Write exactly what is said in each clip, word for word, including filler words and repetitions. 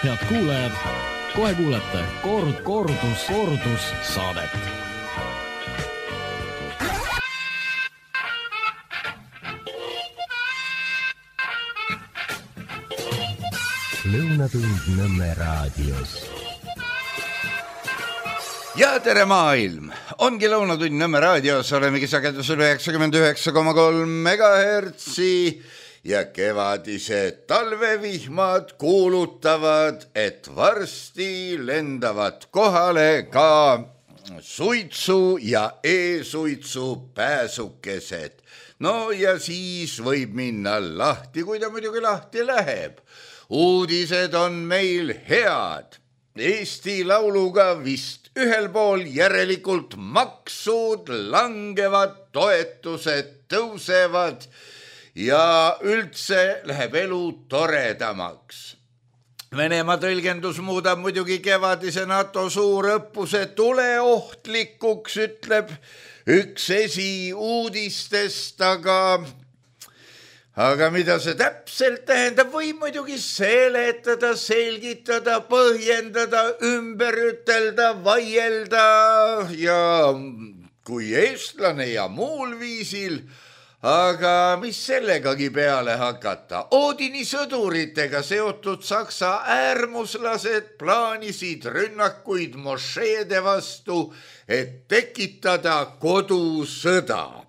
Head kuulajad, kohe kuulete kord, kordus, kordus saadet. Lõunatund Nõmme raadios. Ja tere maailm! Ongi Lõunatund Nõmme raadios, olemegi sagedusel üheksakümmend üheksa koma kolm megahertsi ja kevadised talvevihmad kuulutavad, et varsti lendavad kohale ka suitsu ja e-suitsu pääsukesed. No ja siis võib minna lahti, kui ta muidugi lahti läheb. Uudised on meil head. Eesti Lauluga vist ühel pool, järelikult maksud langevad, toetused tõusevad ja üldse läheb elu toredamaks. Venemaa tõlgendus muudab muidugi kevadise NATO suurõppuse tuleohtlikuks, ütleb üks esiuudistest, aga... Aga mida see täpselt tähendab, võib muidugi seletada, selgitada, põhjendada, ümber ütelda, vaielda ja kui eestlane ja muul viisil, aga mis sellegagi peale hakata? Oodini sõduritega seotud Saksa äärmuslased plaanisid rünnakuid mošeede vastu, et tekitada kodusõda.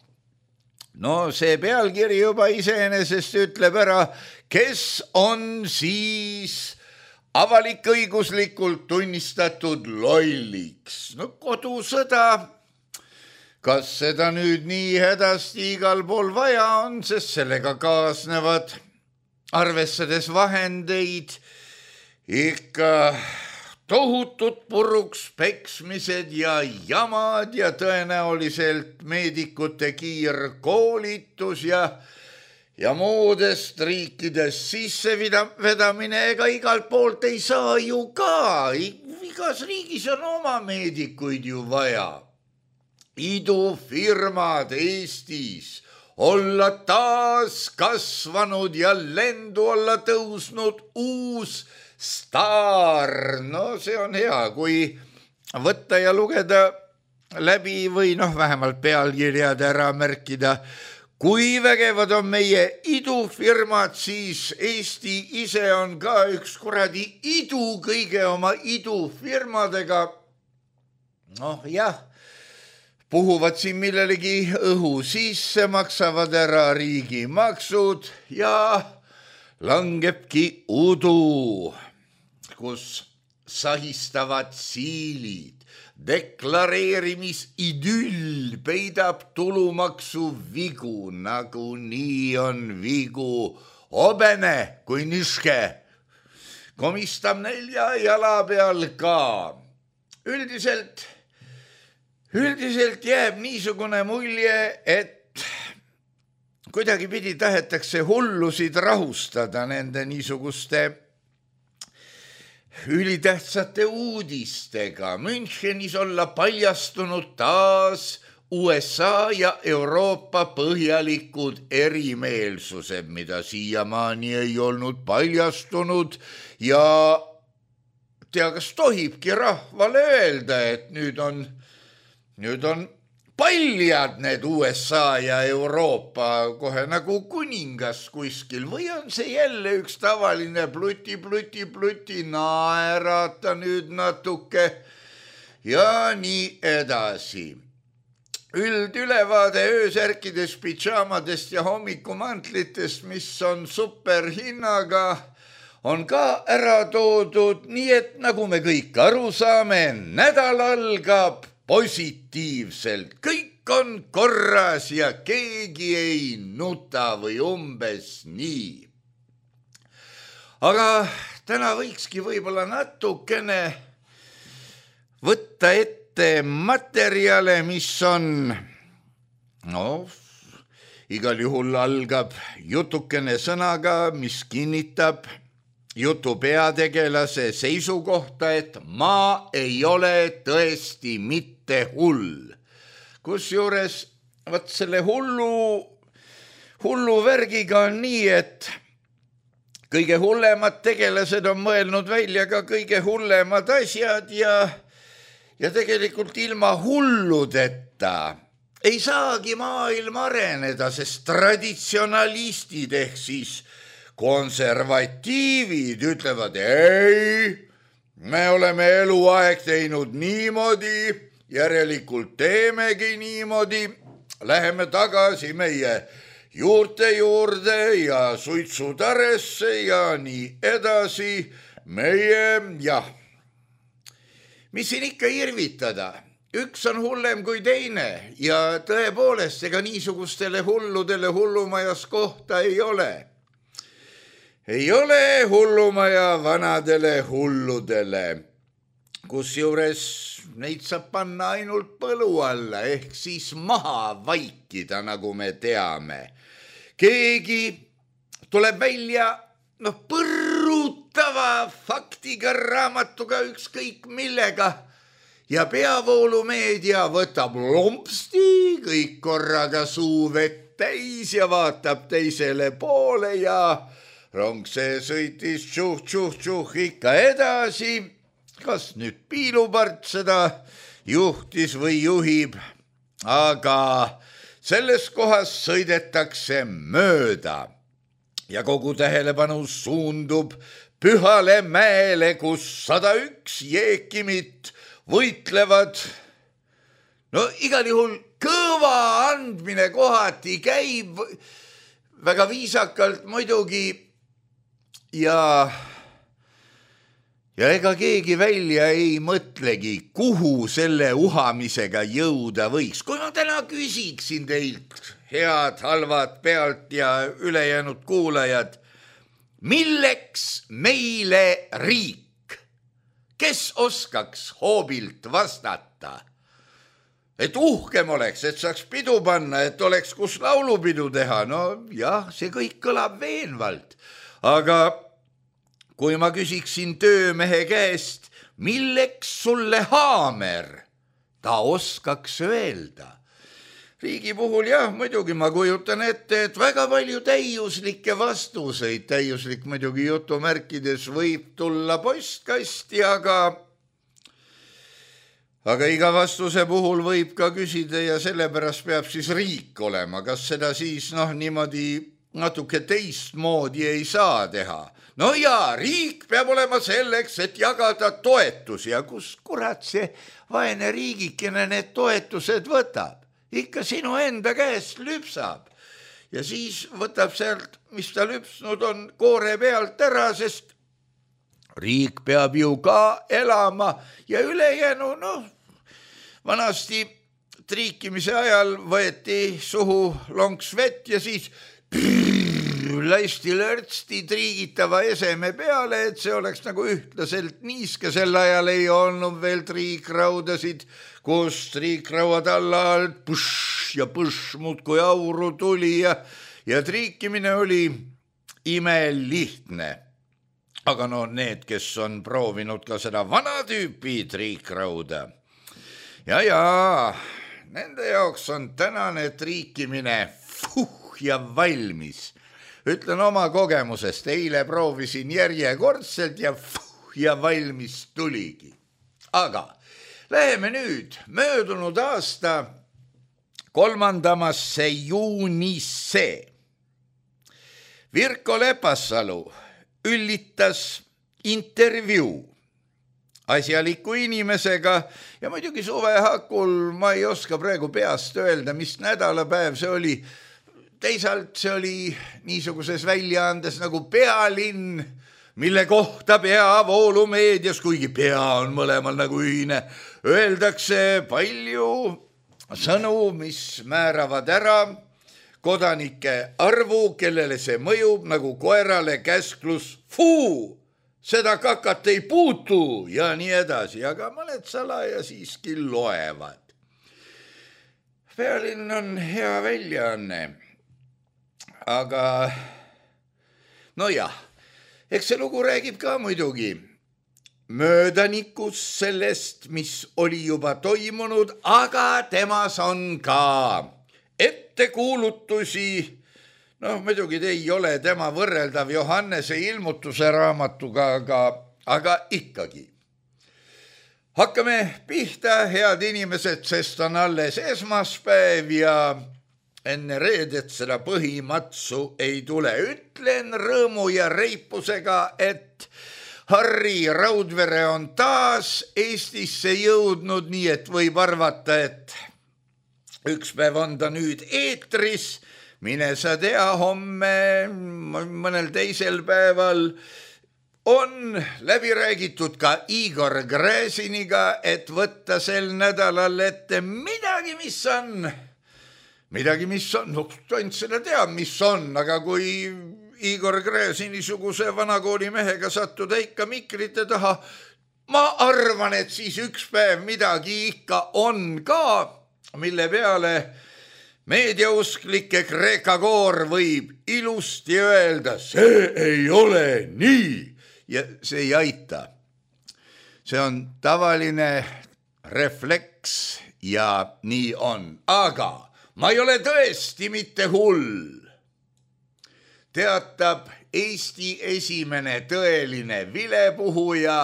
No see pealkiri juba iseenesest ütleb ära, kes on siis avalik-õiguslikult tunnistatud lolliks. No kodusõda, kas seda nüüd nii hädasti igal pool vaja on, sest sellega kaasnevad, arvestades vahendeid, ikka tohutud puruks peksmised ja jamad ja tõenäoliselt meedikute kiirkoolitus ja, ja muudest riikidest sissevedamine, ega igalt poolt ei saa ju ka. Igas riigis on oma meedikuid ju vaja. Idufirmad Eestis olla taas kasvanud ja lendu olla tõusnud uus staar, no see on hea, kui võtta ja lugeda läbi või noh, vähemalt pealkirjad ära märkida. Kui vägevad on meie idufirmad, siis Eesti ise on ka üks kuradi idu kõige oma idufirmadega. Noh jah, puhuvad siin millelegi õhu sisse, maksavad ära riigimaksud ja langebki udu, kus sahistavad siilid, deklareerimisidüll peidab tulumaksu vigu, nagu nii on vigu, obene kui niške, komistab nelja jala peal ka. Üldiselt, üldiselt jääb niisugune mulje, et kuidagi pidi tahetakse hullusid rahustada nende niisuguste ülitähtsate uudistega. Münchenis olla paljastunud taas U S A ja Euroopa põhjalikud erimeelsused, mida siiamaani ei olnud paljastunud ja tea, kas tohibki rahvale öelda, et nüüd on, nüüd on paljad need U S A ja Euroopa kohe nagu kuningas kuskil või on see jälle üks tavaline pluti, pluti, pluti, naerata nüüd natuke ja nii edasi. Üldülevaade öösärkidest, pidžaamadest ja hommikumantlitest, mis on superhinnaga, on ka ära toodud, nii et nagu me kõik aru saame, nädal algab positiivselt, kõik on korras ja keegi ei nuta või umbes nii. Aga täna võikski võib-olla natukene võtta ette materjale, mis on, no, igal juhul algab jutukene sõnaga, mis kinnitab jutu peategelase seisukohta, et ma ei ole tõesti mitte hull. Kusjuures võt selle hullu, hullu värgiga on nii, et kõige hullemad tegelased on mõelnud välja ka kõige hullemad asjad ja, ja tegelikult ilma hulludeta ei saagi maailm areneda, sest traditsionalistid ehk siis konservatiivid ütlevad, ei, me oleme eluaeg teinud niimoodi, järelikult teemegi niimoodi, läheme tagasi meie juurte juurde ja suitsutaresse ja nii edasi, meie, jah, mis siin ikka irvitada, üks on hullem kui teine ja tõepoolest ega niisugustele hulludele hullumajas kohta ei ole. Ei ole hullumaja vanadele hulludele, kusjuures neid saab panna ainult põlu alla ehk siis maha vaikida, nagu me teame. Keegi tuleb välja noh, põrutava faktiga, raamatuga, ükskõik millega ja peavoolumeedia võtab lompsti kõik korraga suu vett täis ja vaatab teisele poole ja rong see sõitis tšuh-tšuh-tšuh ikka edasi. Kas nüüd piilupart seda juhtis või juhib, aga selles kohas sõidetakse mööda ja kogu tähelepanu suundub Pühale mäele, kus sada üks jeekimit võitlevad. No igal juhul kõva andmine kohati käib väga viisakalt muidugi ja Ja ega keegi välja ei mõtlegi, kuhu selle uhamisega jõuda võiks. Kui ma täna küsiksin teilt, head, halvad pealt ja ülejäänud kuulajad, milleks meile riik? Kes oskaks hoobilt vastata? Et uhkem oleks, et saaks pidu panna, et oleks kus laulupidu teha. No jah, see kõik kõlab veenvalt, aga kui ma küsiksin töömehe käest, milleks sulle haamer, ta oskaks öelda. Riigi puhul jah, muidugi ma kujutan ette, et väga palju täiuslikke vastuseid, täiuslik muidugi jutumärkides võib tulla postkasti, aga, aga iga vastuse puhul võib ka küsida ja sellepärast peab siis riik olema. Kas seda siis noh, niimoodi natuke teistmoodi ei saa teha? No jaa, riik peab olema selleks, et jagada toetusi ja kus kurat see vaene riigikene need toetused võtab? Ikka sinu enda käest lüpsab ja siis võtab sealt, mis ta lüpsnud on, koore pealt ära, sest riik peab ju ka elama ja ülejäänu, noh, vanasti triikimise ajal võeti suhu lonks vett ja siis lasti lörtsti triigitava eseme peale, et see oleks nagu ühtlaselt niiske. Sel ajal ei olnud veel triikraudasid, kus triikrauad alla alt push ja push muudkui auru tuli ja, ja triikimine oli imelihtne. Aga no need, kes on proovinud ka seda vana tüüpi triikrauda. Ja, ja, nende jaoks on tänane triikimine fuh ja valmis. Ütlen oma kogemusest, eile proovisin järjekordselt ja fuh ja valmis tuligi. Aga läheme nüüd möödunud aasta kolmandamasse juunisse. Virko Lepassalu üllitas intervjuu asjaliku inimesega ja muidugi suve hakul ma ei oska praegu peast öelda, mis nädalapäev see oli. Teisalt see oli niisuguses väljaandes nagu Pealinn, mille kohta peavoolumeedias, kuigi pea on mõlemal nagu ühine, öeldakse palju sõnu, mis määravad ära kodanike arvu, kellele see mõjub nagu koerale käsklus, fuu, seda kakat ei puutu ja nii edasi, aga mõned salaja siiski loevad. Pealinn on hea väljaanne. Aga no jah, eks see lugu räägib ka muidugi möödanikus sellest, mis oli juba toimunud, aga temas on ka ettekuulutusi, noh, muidugi ei ole tema võrreldav Johannese ilmutuse raamatuga, aga, aga ikkagi. Hakkame pihta, head inimesed, sest on alles esmaspäev ja enne reedet seda põhimatsu ei tule. Ütlen rõõmu ja reipusega, et Harri Raudvere on taas Eestisse jõudnud, nii et võib arvata, et üks päev on ta nüüd eetris, mine sa tea, homme mõnel teisel päeval on läbi räägitud ka Igor Gräziniga, et võtta sel nädalal ette midagi, mis on, midagi, mis on, no ainult seda teab, mis on, aga kui Igor Gräzini-suguse vanakooli mehega sattuda ikka mikrite taha, ma arvan, et siis üks päev midagi ikka on ka, mille peale meediausklike Kreeka koor võib ilusti öelda, see ei ole nii ja see ei aita. See on tavaline refleks ja nii on, aga ma ei ole tõesti mitte hull. Teatab Eesti esimene tõeline vilepuhuja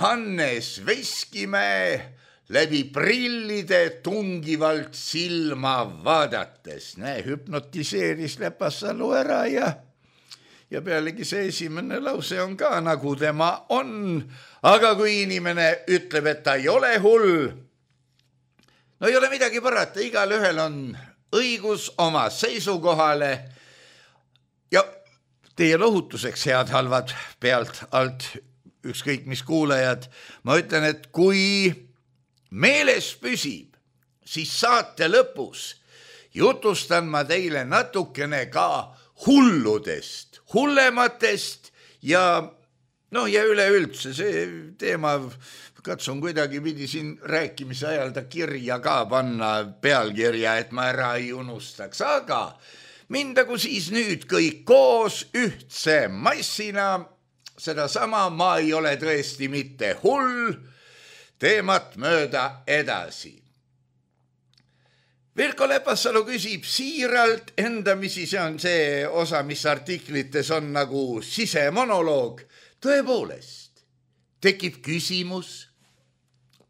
Hannes Veskimäe läbi prillide tungivalt silma vaadates. Näe, hüpnotiseeris Lepasalu ära ja, ja pealegi see esimene lause on ka nagu tema on. Aga kui inimene ütleb, et ta ei ole hull, no ei ole midagi parata, igal ühel on õigus oma seisukohale. Ja teie lohutuseks, head halvad pealt alt ükskõik mis kuulajad, ma ütlen, et kui meeles püsib, siis saate lõpus jutustan ma teile natukene ka hulludest, hullematest ja noh, ja üleüldse see teema katsun kuidagi pidi siin rääkimise ajal ta kirja ka panna pealkirja, et ma ära ei unustaks, aga mindagu siis nüüd kõik koos ühtse massina, seda sama ma ei ole tõesti mitte hull, teemat mööda edasi. Virko Lepasalu küsib siiralt endamisi, see on see osa, mis artiklites on nagu sisemonoloog. Tõepoolest, tekib küsimus,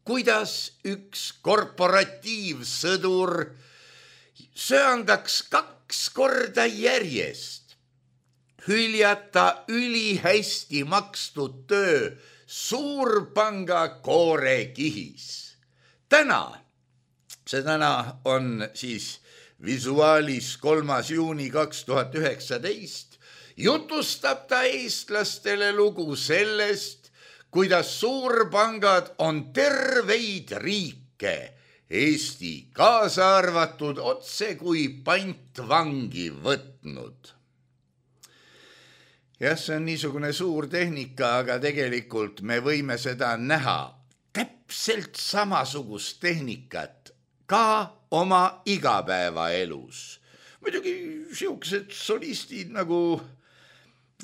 kuidas üks korporatiivsõdur söandaks kaks korda järjest hüljata ülihästi makstud töö suurpanga koorekihis. Täna, see täna on siis Visuaalis kolmas juuni kaks tuhat üheksateist, jutustab ta eestlastele lugu sellest, kuidas suurpangad on terveid riike, Eesti kaasa arvatud, otse kui pantvangi võtnud. Jah, see on niisugune suur tehnika, aga tegelikult me võime seda näha täpselt samasugust tehnikat ka oma igapäevaelus. Muidugi siuksed solistid nagu,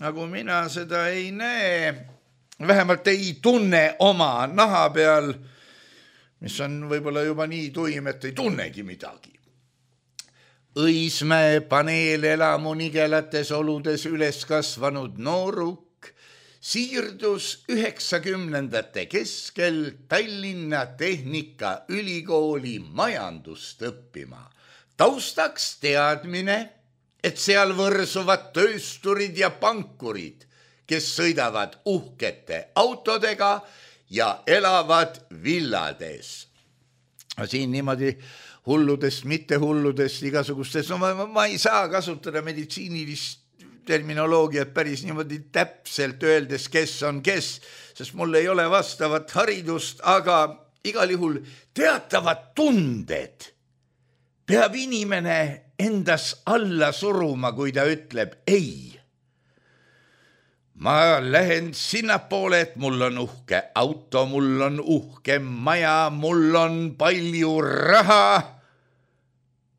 nagu mina seda ei näe, vähemalt ei tunne oma naha peal, mis on võib-olla juba nii tuim, et ei tunnegi midagi. Õismäe paneelelamu nigelates oludes üles kasvanud nooruk siirdus üheksakümnendate keskel Tallinna Tehnikaülikooli majandust õppima. Taustaks teadmine, et seal võrsuvad töösturid ja pankurid, kes sõidavad uhkete autodega ja elavad villades. Siin niimoodi hulludest, mitte hulludest, igasugustest, no ma, ma ei saa kasutada meditsiinilist terminoloogiat päris niimoodi täpselt öeldes, kes on kes, sest mul ei ole vastavat haridust, aga igal juhul teatavad tunded peab inimene endas alla suruma, kui ta ütleb ei. Ma lähen sinnapoole, et mul on uhke auto, mul on uhke maja, mul on palju raha.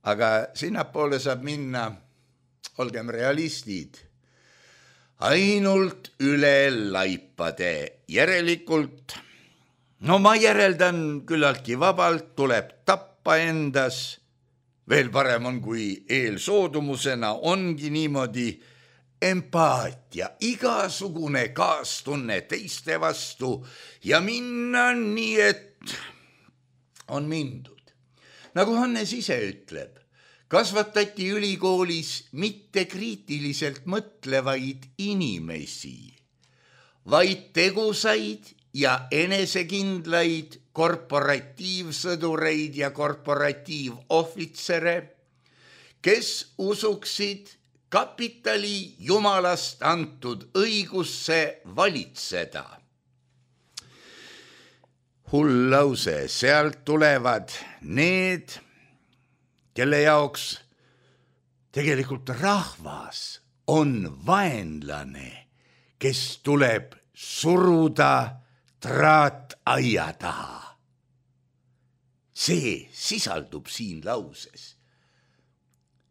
Aga sinnapoole saab minna, olgem realistid, ainult üle laipade. Järelikult, no ma järeldan küllaltki vabalt, tuleb tappa endas veel parem on, kui eelsoodumusena ongi niimoodi empaatia, igasugune kaastunne teiste vastu ja minna nii, et on mindud. Nagu Hannes ise ütleb, kasvatati ülikoolis mitte kriitiliselt mõtlevaid inimesi, vaid tegusaid ja enesekindlaid korporatiivsõdureid ja korporatiivohvitsere, kes usuksid kapitali jumalast antud õigusse valitseda. Hull lause, sealt tulevad need, kelle jaoks tegelikult rahvas on vaenlane, kes tuleb suruda traataia taha. See sisaldub siin lauses.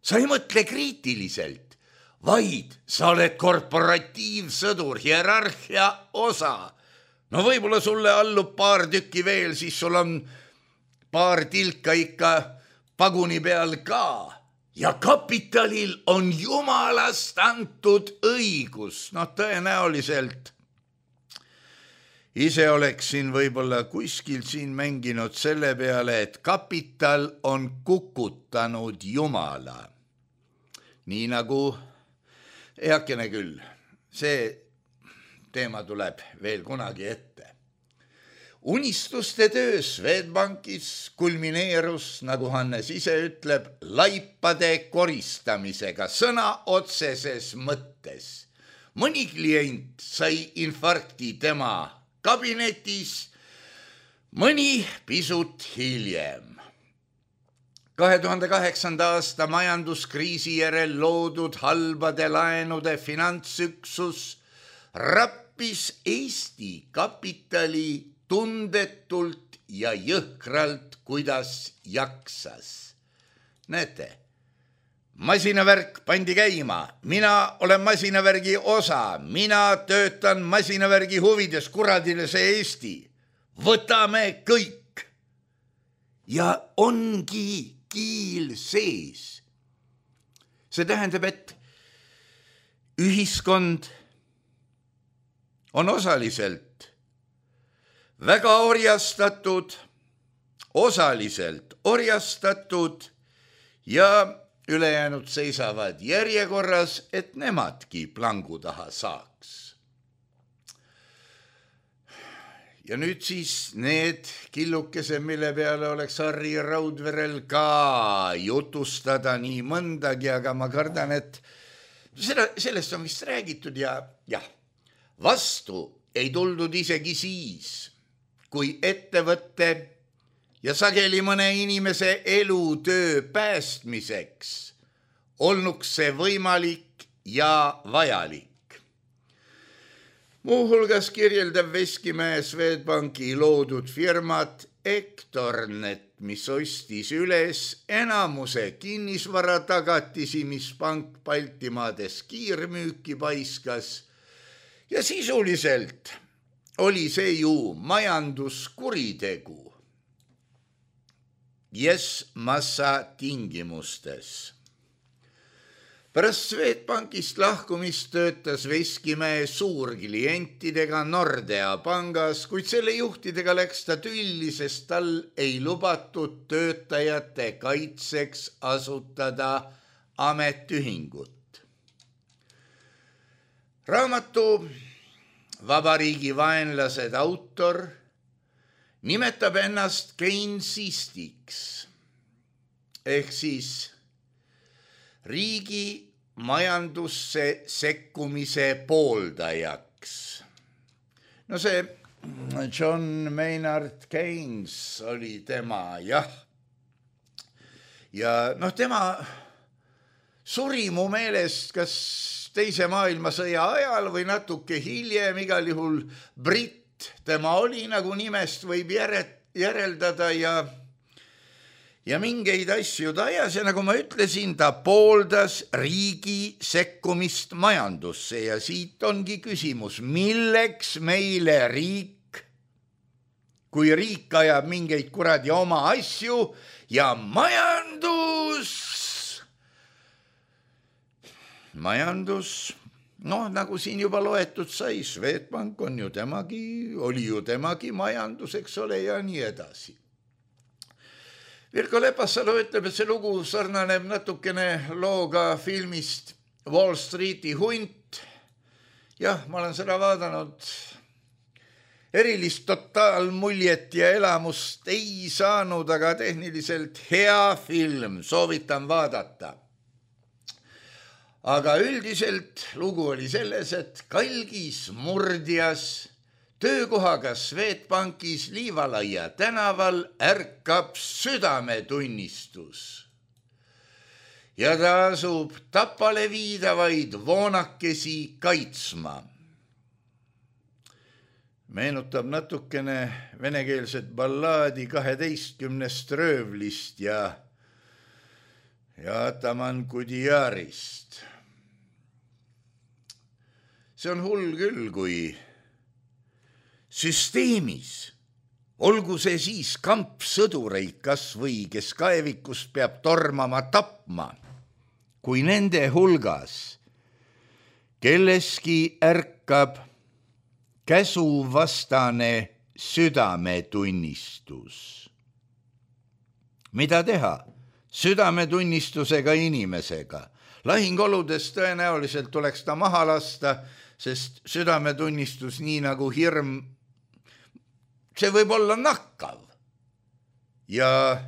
Sa ei mõtle kriitiliselt, vaid sa oled korporatiivsõdur, hierarhia osa. No võib-olla sulle allub paar tükki veel, siis sul on paar tilka ikka paguni peal ka. Ja kapitalil on jumalast antud õigus. No tõenäoliselt ise oleksin võib-olla kuskil siin mänginud selle peale, et kapital on kukutanud jumala. Nii nagu eakene küll, see teema tuleb veel kunagi ette. Unistuste töö Swedbankis kulmineerus, nagu Hannes ise ütleb, laipade koristamisega sõna otseses mõttes. Mõni klient sai infarkti tema kabinetis, mõni pisut hiljem. kahe tuhande kaheksanda aasta majanduskriisi järel loodud halbade laenude finantsüksus rappis Eesti kapitali tundetult ja jõhkralt, kuidas jaksas. Näete, masinavärk pandi käima, mina olen masinavärgi osa, mina töötan masinavärgi huvides, kuradile see Eesti. Võtame kõik. Ja ongi kiil sees. See tähendab, et ühiskond on osaliselt väga orjastatud, osaliselt orjastatud ja ülejäänud seisavad järjekorras, et nemadki plangu taha saaks. Ja nüüd siis need killukesed, mille peale oleks Harri Raudverel ka jutustada nii mõndagi, aga ma kardan, et seda, sellest on vist räägitud ja jah, vastu ei tuldud isegi siis, kui ettevõtte ja sageli mõne inimese elutöö päästmiseks olnuks see võimalik ja vajalik. Muuhulgas kirjeldab Veskimäe Swedbanki loodud firmat Ektornet, mis ostis üles enamuse kinnisvara tagatisi, mis pank Baltimaades kiirmüüki paiskas ja sisuliselt oli see ju majanduskuritegu. Yes massa tingimustes. Pärast Swedbankist lahkumist töötas Veskimäe suurklientidega Nordea pangas, kuid selle juhtidega läks ta tülli, sest tal ei lubatud töötajate kaitseks asutada ametiühingut. Raamatu Vabariigi vaenlased autor nimetab ennast Keynesistiks ehk siis riigi majandusse sekkumise pooldajaks. No see John Maynard Keynes oli tema, jah. Ja noh, tema suri mu meelest kas teise maailmasõja ajal või natuke hiljem, igal juhul britt tema oli, nagu nimest võib järeldada ja Ja mingeid asju ta ajas ja nagu ma ütlesin, ta pooldas riigi sekkumist majandusse ja siit ongi küsimus, milleks meile riik, kui riik ajab mingeid kuradi oma asju ja majandus majandus, noh, nagu siin juba loetud sai, Swedbank on ju temagi, oli ju temagi majandus, eks ole, ja nii edasi. Virko Lepasalu ütleb, et see lugu sarnaneb natukene looga filmist Wall Streeti hunt. Jah, ma olen seda vaadanud. Erilist totaalmuljet ja elamust ei saanud, aga tehniliselt hea film, soovitan vaadata. Aga üldiselt lugu oli selles, et kalgis murdjas töökohaga Swedbankis Liivalaia tänaval ärkab südametunnistus. Ja ta asub tapale viidavaid voonakesi kaitsma. Meenutab natukene venekeelset ballaadi kaheteistkümnest röövlist ja, ja Ataman Kudiarist. See on hull küll, kui süsteemis, olgu see siis kampsõdureid kas või, kes kaevikust peab tormama tapma, kui nende hulgas kelleski ärkab käsuvastane südametunnistus. Mida teha südametunnistusega inimesega? Lahingoludes tõenäoliselt tuleks ta maha lasta, sest südametunnistus nii nagu hirm, see võib olla nakkav. Ja,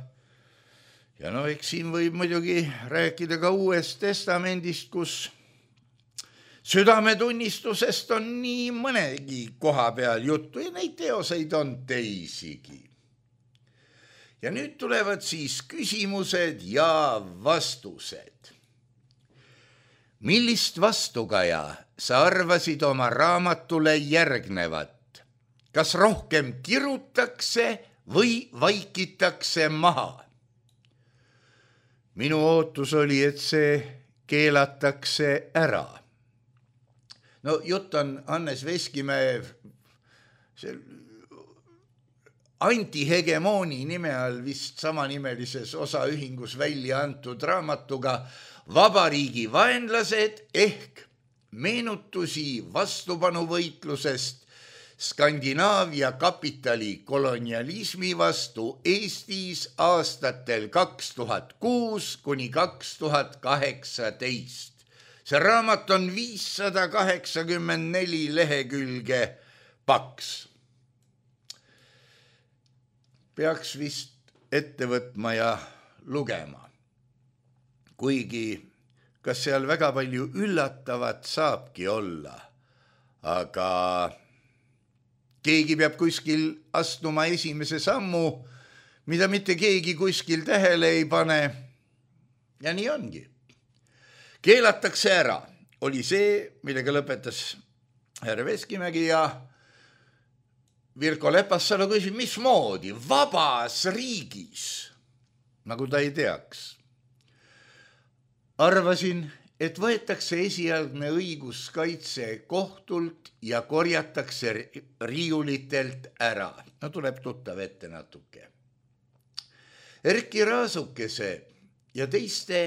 ja no eks siin võib muidugi rääkida ka Uuest Testamendist, kus südametunnistusest on nii mõnegi koha peal juttu ja neid teoseid on teisigi. Ja nüüd tulevad siis küsimused ja vastused. Millist vastukaja sa arvasid oma raamatule järgnevat? Kas rohkem kirutakse või vaikitakse maha? Minu ootus oli, et see keelatakse ära. No jutt on Hannes Veskimäe antihegemooni nime all vist samanimelises osaühingus välja antud raamatuga Vabariigi vaenlased ehk meenutusi vastupanuvõitlusest Skandinaavia kapitali kolonialismi vastu Eestis aastatel kaks tuhat kuus kuni kaks tuhat kaheksateist. See raamat on viissada kaheksakümmend neli lehekülge paks. Peaks vist ette võtma ja lugema. Kuigi, kas seal väga palju üllatavat saabki olla, aga keegi peab kuskil astuma esimese sammu, mida mitte keegi kuskil tähele ei pane. Ja nii ongi. Keelatakse ära oli see, millega lõpetas härra Veskimägi ja Virko Lepasalu küsib, mismoodi vabas riigis, nagu ta ei teaks. Arvasin, et võetakse esialgne õiguskaitse kohtult ja korjatakse riiulitelt ära. No tuleb tuttav ette natuke. Erki Raasukese ja teiste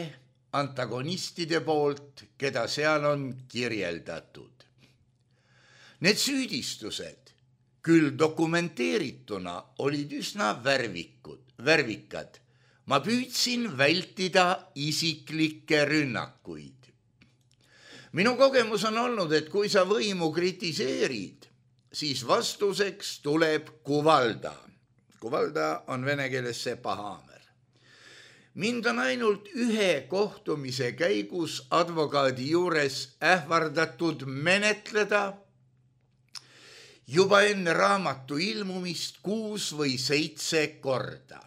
antagonistide poolt, keda seal on kirjeldatud. Need süüdistused, küll dokumenteerituna, olid üsna värvikud, värvikad. Ma püüdsin vältida isiklikke rünnakuid. Minu kogemus on olnud, et kui sa võimu kritiseerid, siis vastuseks tuleb kuvalda. Kuvalda on vene keeles see pahaamer. Mind on ainult ühe kohtumise käigus advokaadi juures ähvardatud menetleda juba enne raamatu ilmumist kuus või seitse korda.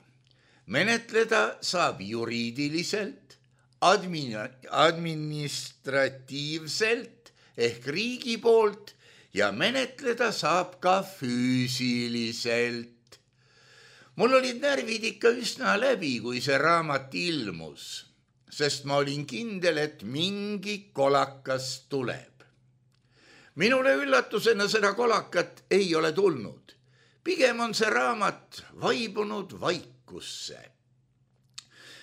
Menetleda saab juriidiliselt, admin, administratiivselt ehk riigi poolt ja menetleda saab ka füüsiliselt. Mul olid närvid ikka üsna läbi, kui see raamat ilmus, sest ma olin kindel, et mingi kolakas tuleb. Minule üllatusena seda kolakat ei ole tulnud. Pigem on see raamat vaibunud vaikusse.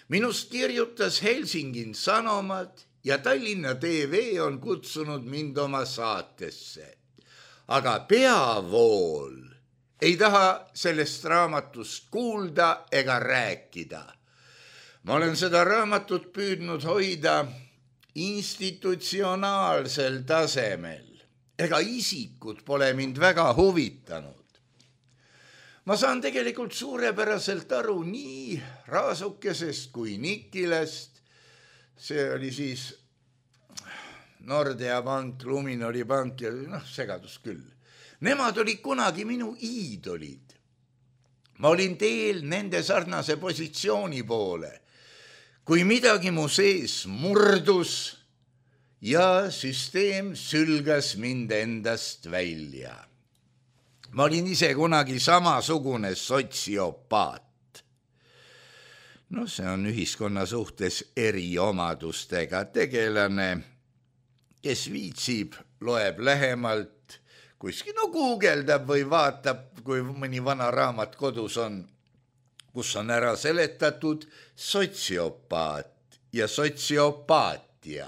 Minust kirjutas Helsingin Sanomat ja Tallinna T V on kutsunud mind oma saatesse. Aga peavool ei taha sellest raamatust kuulda ega rääkida. Ma olen seda raamatut püüdnud hoida institutsionaalsel tasemel. Ega isikud pole mind väga huvitanud. Ma saan tegelikult suurepäraselt aru nii Raasukesest kui Nikilest. See oli siis Nordea Pank, Luminori Pank ja noh, segadus küll. Nemad olid kunagi minu iidolid. Ma olin teel nende sarnase positsiooni poole, kui midagi mu sees murdus ja süsteem sülgas mind endast välja. Ma olin ise kunagi samasugune sotsiopaat. No see on ühiskonna suhtes eriomadustega tegelane, kes viitsib, loeb lähemalt, kuskil no guugeldab või vaatab, kui mõni vana raamat kodus on, kus on ära seletatud sotsiopaat ja sotsiopaatia.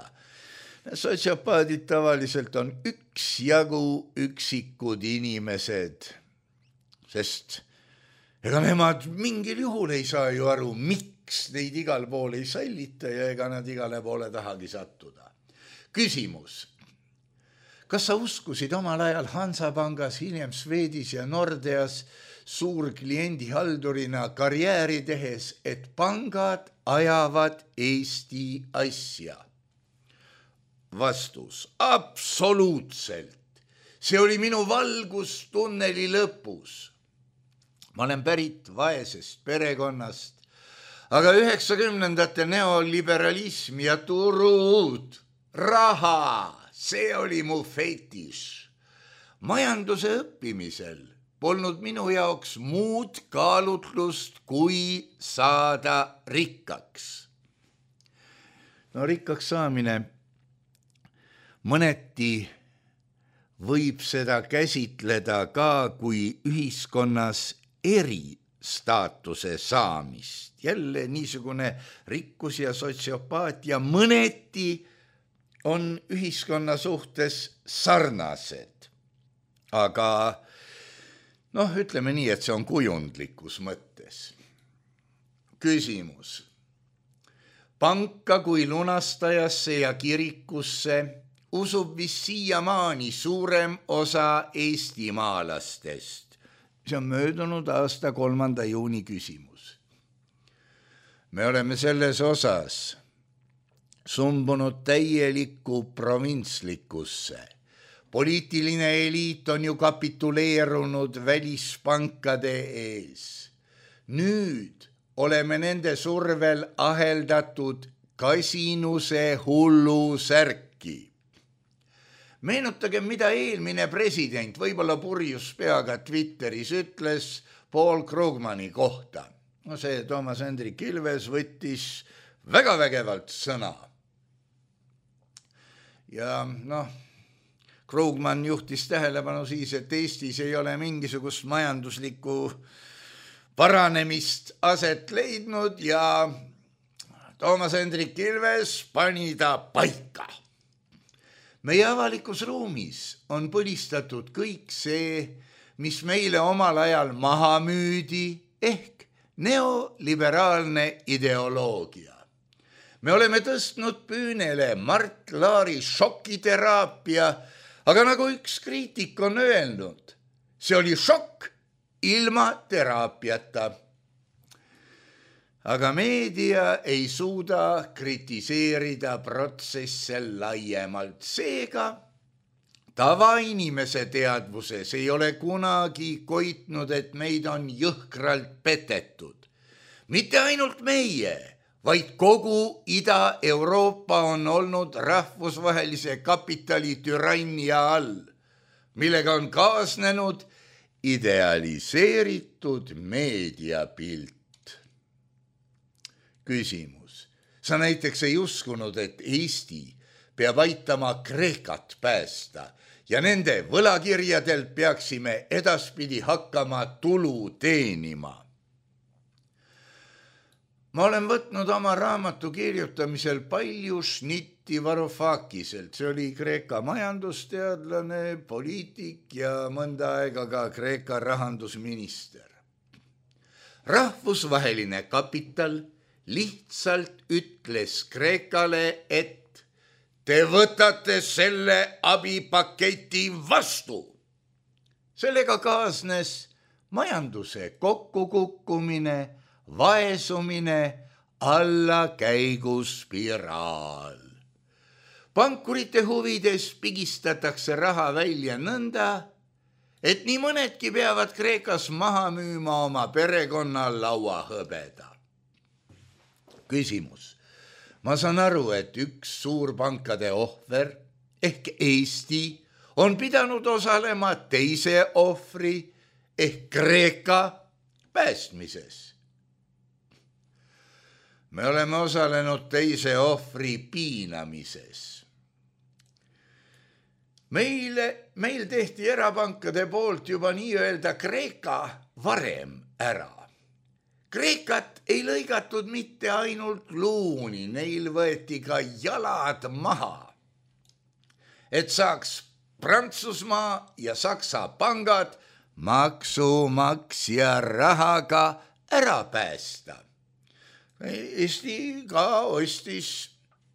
Sotsiopaadid tavaliselt on üksjagu üksikud inimesed, sest ega nemad mingil juhul ei saa ju aru, miks neid igal pool ei sallita ja ega nad igale poole tahagi sattuda. Küsimus. Kas sa uskusid omal ajal Hansapangas, hiljem Swedis ja Nordeas suurkliendihaldurina karjääri tehes, et pangad ajavad Eesti asja? Vastus. Absoluutselt. See oli minu valgus tunneli lõpus. Ma olen pärit vaesest perekonnast, aga üheksakümnendate neoliberalism ja turud, raha, see oli mu fetiš. Majanduse õppimisel polnud minu jaoks muud kaalutlust, kui saada rikkaks. No rikkaks saamine mõneti võib seda käsitleda ka kui ühiskonnas eristaatuse saamist. Jälle niisugune rikkus ja sotsiopaatia mõneti on ühiskonna suhtes sarnased. Aga noh, ütleme nii, et see on kujundlikus mõttes. Küsimus. Panka kui lunastajasse ja kirikusse usub vist siiamaani suurem osa eestimaalastest. See on möödunud aasta kolmanda juuni küsimus. Me oleme selles osas sumbunud täielikku provintslikkusse. Poliitiline eliit on ju kapituleerunud välispankade ees. Nüüd oleme nende survel aheldatud kasinuse hullu särki. Meenutage, mida eelmine president, võib-olla purjus peaga Twitteris ütles Paul Krugmani kohta. No see Toomas Hendrik Ilves võttis väga vägevalt sõna. Ja noh, Krugman juhtis tähelepanu siis, et Eestis ei ole mingisugust majanduslikku paranemist aset leidnud ja Toomas Hendrik Ilves pani ta paika. Meie avalikus ruumis on põlistatud kõik see, mis meile omal ajal maha müüdi, ehk neoliberaalne ideoloogia. Me oleme tõstnud püünele Mart Laari šokiteraapia, aga nagu üks kriitik on öelnud, see oli šokk ilma teraapiata. Aga meedia ei suuda kritiseerida protsesse laiemalt. Seega tavainimese teadvuses ei ole kunagi koitnud, et meid on jõhkralt petetud. Mitte ainult meie, vaid kogu Ida-Euroopa on olnud rahvusvahelise kapitali türannia all, millega on kaasnenud idealiseeritud meediapilt. Küsimus. Sa näiteks ei uskunud, et Eesti peab aitama Kreekat päästa ja nende võlakirjadelt peaksime edaspidi hakkama tulu teenima. Ma olen võtnud oma raamatu kirjutamisel palju šnitte Giorgi Varoufakiselt, see oli Kreeka majandusteadlane, poliitik ja mõnda aega ka Kreeka rahandusminister. Rahvusvaheline kapital lihtsalt ütles Kreekale, et te võtate selle abipaketi vastu. Sellega kaasnes majanduse kokkukukkumine, vaesumine, allakäiguspiraal. Pankurite huvides pigistatakse raha välja nõnda, et nii mõnedki peavad Kreekas maha müüma oma perekonna lauahõbeda. Küsimus. Ma saan aru, et üks suurpankade ohver ehk Eesti on pidanud osalema teise ohvri ehk Kreeka päästmises. Me oleme osalenud teise ohvri piinamises. Meile, meil tehti erapankade poolt juba nii-öelda Kreeka varem ära. Kreekat ei lõigatud mitte ainult luuni, neil võeti ka jalad maha, et saaks Prantsusmaa ja Saksa pangad maksumaksja rahaga ära päästa. Eesti ka ostis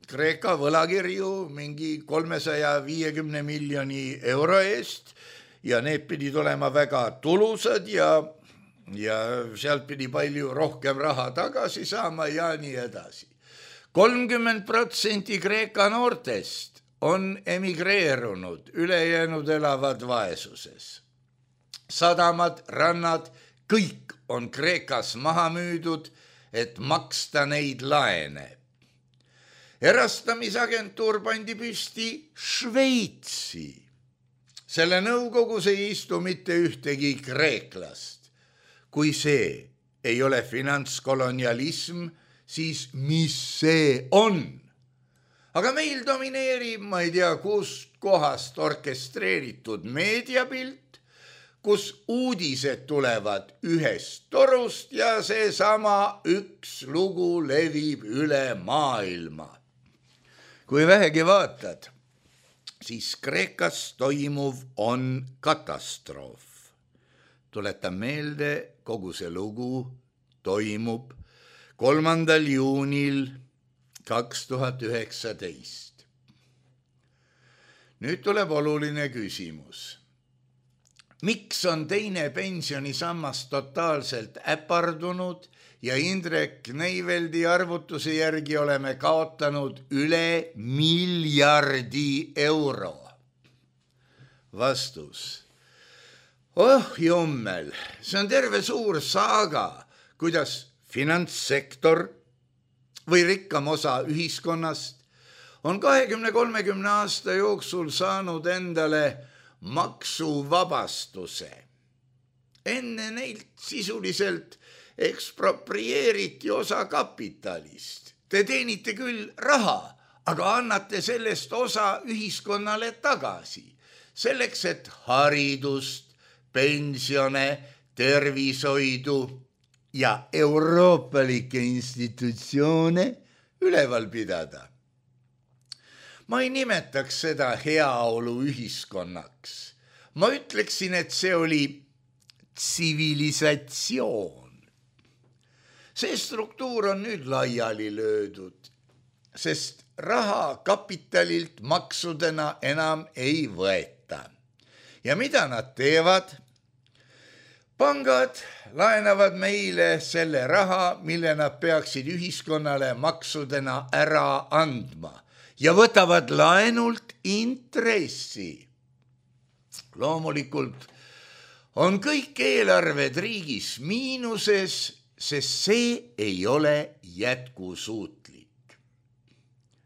Kreeka võlakirju mingi kolmesaja viiekümne miljoni euro eest ja need pidid olema väga tulusad ja, ja sealt pidi palju rohkem raha tagasi saama ja nii edasi. kolmkümmend protsenti Kreeka noortest on emigreerunud, ülejäänud elavad vaesuses. Sadamad, rannad, kõik on Kreekas maha müüdud, et maksta neid laene. Erastamisagentuur pandi püsti Šveitsi. Selle nõukogus ei istu mitte ühtegi kreeklast. Kui see ei ole finantskolonialism, siis mis see on? Aga meil domineerib, ma ei tea, kust kohast orkestreeritud meediapilt, kus uudised tulevad ühest torust ja seesama üks lugu levib üle maailma. Kui vähegi vaatad, siis Kreekas toimuv on katastroof. Tuletan meelde, kogu see lugu toimub kolmandal juunil kaks tuhat üheksateist. Nüüd tuleb oluline küsimus. Miks on teine pensionisammas totaalselt äpardunud ja Indrek Neiveldi arvutuse järgi oleme kaotanud üle miljardi euro? Vastus. Oh jummel, see on terve suur saaga, kuidas finantssektor või rikkam osa ühiskonnast on kahekümne kolmekümne aasta jooksul saanud endale maksuvabastuse. Enne neilt sisuliselt eksproprieeriti osa kapitalist. Te teenite küll raha, aga annate sellest osa ühiskonnale tagasi. Selleks, et haridust, pensione, tervishoidu ja euroopalikke institutsioone üleval pidada. Ma ei nimetaks seda heaolu ühiskonnaks. Ma ütleksin, et see oli tsivilisatsioon. See struktuur on nüüd laiali löödud, sest raha kapitalilt maksudena enam ei võeta. Ja mida nad teevad? Pangad laenavad meile selle raha, mille nad peaksid ühiskonnale maksudena ära andma ja võtavad laenult intressi. Loomulikult on kõik eelarved riigis miinuses, sest see ei ole jätkusuutlik.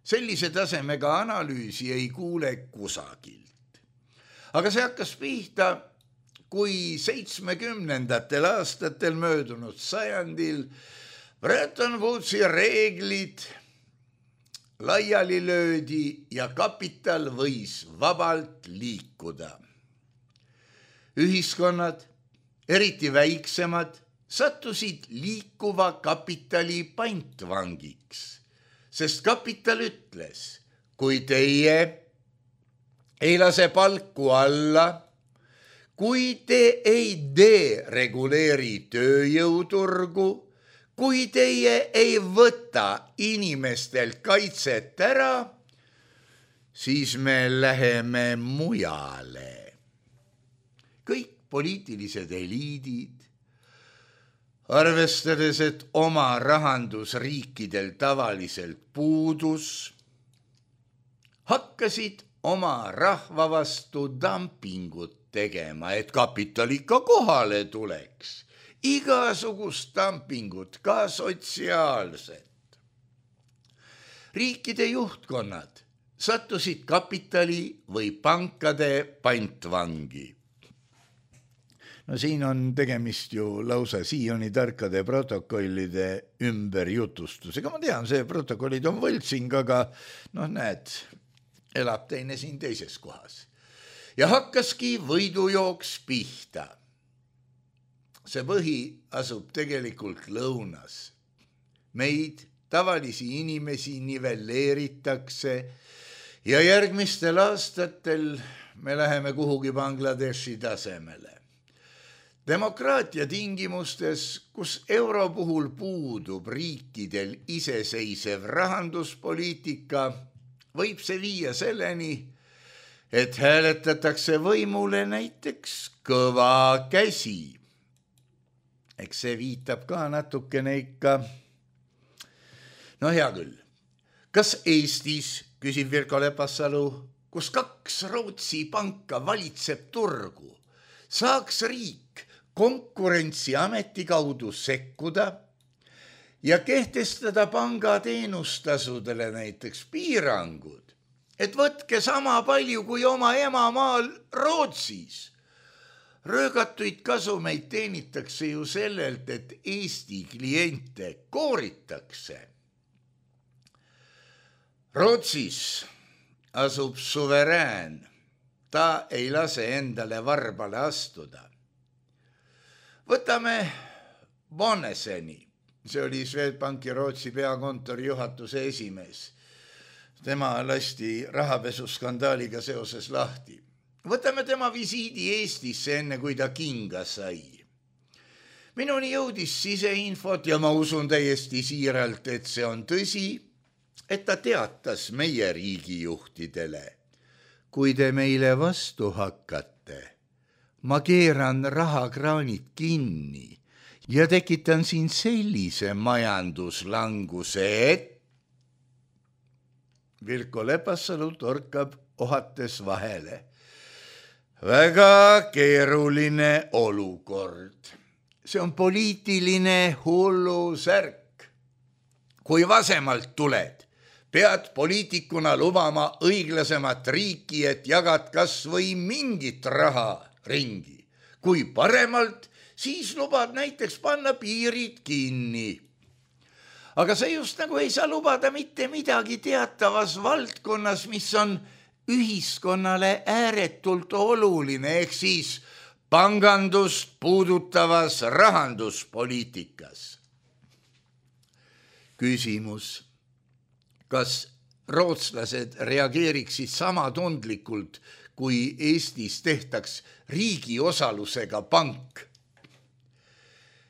Sellise tasemega analüüsi ei kuule kusagilt. Aga see hakkas pihta, kui seitsmekümnendatel aastatel möödunud sajandil Bretton Woodsi reeglid laiali löödi ja kapital võis vabalt liikuda. Ühiskonnad, eriti väiksemad, sattusid liikuva kapitali pantvangiks, sest kapital ütles, kui teie ei lase palku alla, kui te ei dereguleeri tööjõuturgu, kui teie ei võta inimestelt kaitset ära, siis me läheme mujale. Kõik poliitilised eliidid, arvestades, et oma rahandusriikidel tavaliselt puudus, hakkasid oma rahva vastu dumpingut tegema, et kapital ikka kohale tuleks. Igasugust dumpingut, ka sotsiaalset. Riikide juhtkonnad sattusid kapitali või pankade pantvangi. No siin on tegemist ju lausa Sioni tarkade protokollide ümberjutustusega. Ma tean, see protokollid on võltsing, aga noh, näed, elab teine siin teises kohas. Ja hakkaski võidujooks pihta. See põhi asub tegelikult lõunas. Meid, tavalisi inimesi, nivelleeritakse ja järgmistel aastatel me läheme kuhugi Bangladeshi tasemele. Demokraatia tingimustes, kus euro puhul puudub riikidel iseseisev rahanduspoliitika, võib see viia selleni, et hääletatakse võimule näiteks kõva käsi. Eks see viitab ka natukene ikka. No hea küll. Kas Eestis, küsib Virko Lepassalu, kus kaks Rootsi panka valitseb turgu, saaks riik konkurentsiameti kaudu sekkuda ja kehtestada panga teenustasudele näiteks piirangud, et võtke sama palju kui oma emamaal Rootsis. Röögatuid kasumeid teenitakse ju sellelt, et Eesti kliente kooritakse. Rootsis asub suverään, ta ei lase endale varbale astuda. Võtame Bonneseni, see oli Swedbanki Rootsi peakontori juhatuse esimees. Tema lasti rahapesuskandaaliga seoses lahti. Võtame tema visiidi Eestisse enne, kui ta kinga sai. Minuni jõudis siseinfot ja ma usun täiesti siiralt, et see on tõsi, et ta teatas meie riigijuhtidele. Kui te meile vastu hakkate, ma keeran rahakraanid kinni ja tekitan siin sellise majanduslanguse, et Virko Lepassalu torkab ohates vahele. Väga keeruline olukord. See on poliitiline hullusärk. Kui vasemalt tuled, pead poliitikuna lubama õiglasemat riiki, et jagad kas või mingit raha ringi. Kui paremalt, siis lubad näiteks panna piirid kinni. Aga see just nagu ei saa lubada mitte midagi teatavas valdkonnas, mis on ühiskonnale ääretult oluline, ehk siis pangandust puudutavas rahanduspoliitikas. Küsimus, kas rootslased reageeriksid sama tundlikult, kui Eestis tehtaks riigi osalusega pank?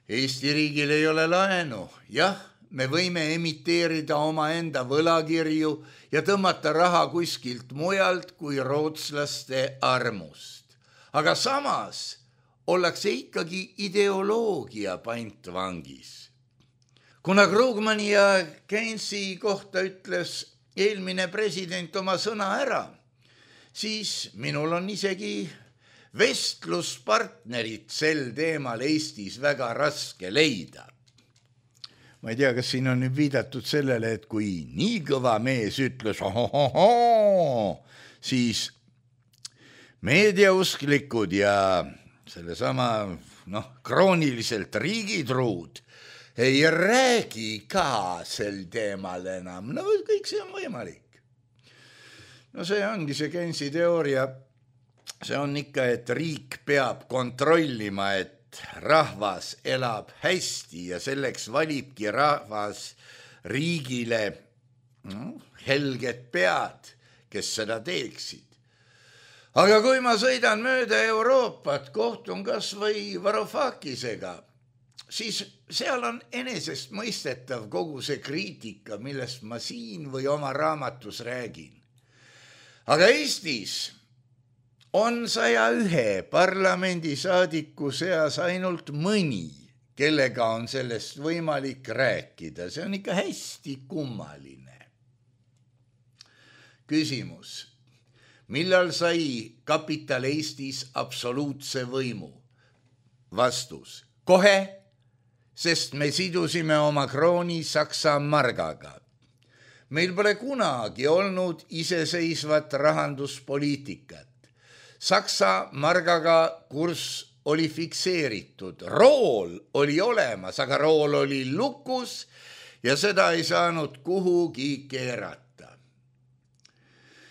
Eesti riigil ei ole laenu, jah, me võime emiteerida oma enda võlakirju ja tõmmata raha kuskilt mujalt kui rootslaste armust. Aga samas ollakse ikkagi ideoloogia pantvangis. Kuna Krugmani ja Keynesi kohta ütles eelmine president oma sõna ära, siis minul on isegi vestluspartnerit sel teemal Eestis väga raske leida. Ma ei tea, kas siin on nüüd viidatud sellele, et kui nii kõva mees ütles ohohoho, siis meediausklikud ja sellesama noh, krooniliselt riigitruud ei räägi ka sel teemal enam. No kõik see on võimalik. No see ongi see Keynesi teooria. See on ikka, et riik peab kontrollima, et rahvas elab hästi ja selleks valibki rahvas riigile no, helged pead, kes seda teeksid. Aga kui ma sõidan mööda Euroopat, kohtun kas või Varoufakisega, siis seal on enesest mõistetav kogu see kriitika, millest ma siin või oma raamatus räägin. Aga Eestis on saja ühe parlamendisaadiku seas ainult mõni, kellega on sellest võimalik rääkida. See on ikka hästi kummaline. Küsimus. Millal sai kapital Eestis absoluutse võimu? Vastus. Kohe, sest me sidusime oma krooni Saksa margaga. Meil pole kunagi olnud iseseisvat rahanduspoliitikat. Saksa margaga kurss oli fikseeritud. Rool oli olemas, aga rool oli lukus ja seda ei saanud kuhugi keerata.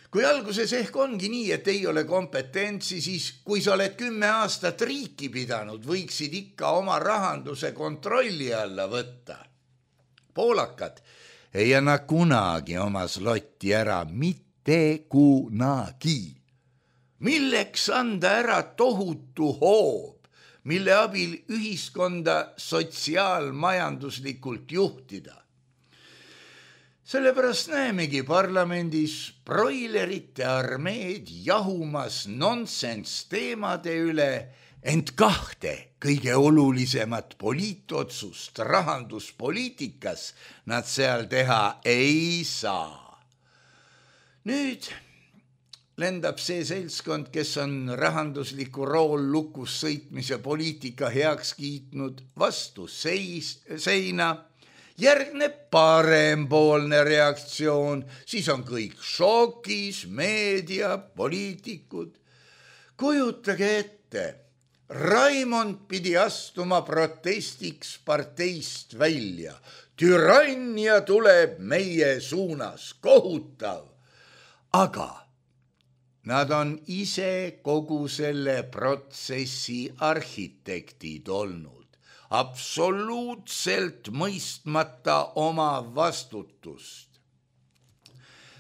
Kui alguses ehk ongi nii, et ei ole kompetentsi, siis kui sa oled kümme aastat riiki pidanud, võiksid ikka oma rahanduse kontrolli alla võtta. Poolakad ei anna kunagi oma slotti ära, mitte kunagi. Milleks anda ära tohutu hoob, mille abil ühiskonda sotsiaalmajanduslikult juhtida? Sellepärast näemegi parlamendis broilerite armeed jahumas nonsense teemade üle, ent kahte kõige olulisemat poliitotsust rahanduspoliitikas nad seal teha ei saa. Nüüd lendab see seltskond, kes on rahandusliku rool lukus sõitmise poliitika heaks kiitnud, vastu seis, seina. Järgneb parempoolne reaktsioon, siis on kõik šokis, meedia, poliitikud. Kujutage ette, Raimond pidi astuma protestiks parteist välja. Türannia tuleb meie suunas, kohutav. Aga nad on ise kogu selle protsessi arhitektid olnud. Absoluutselt mõistmata oma vastutust.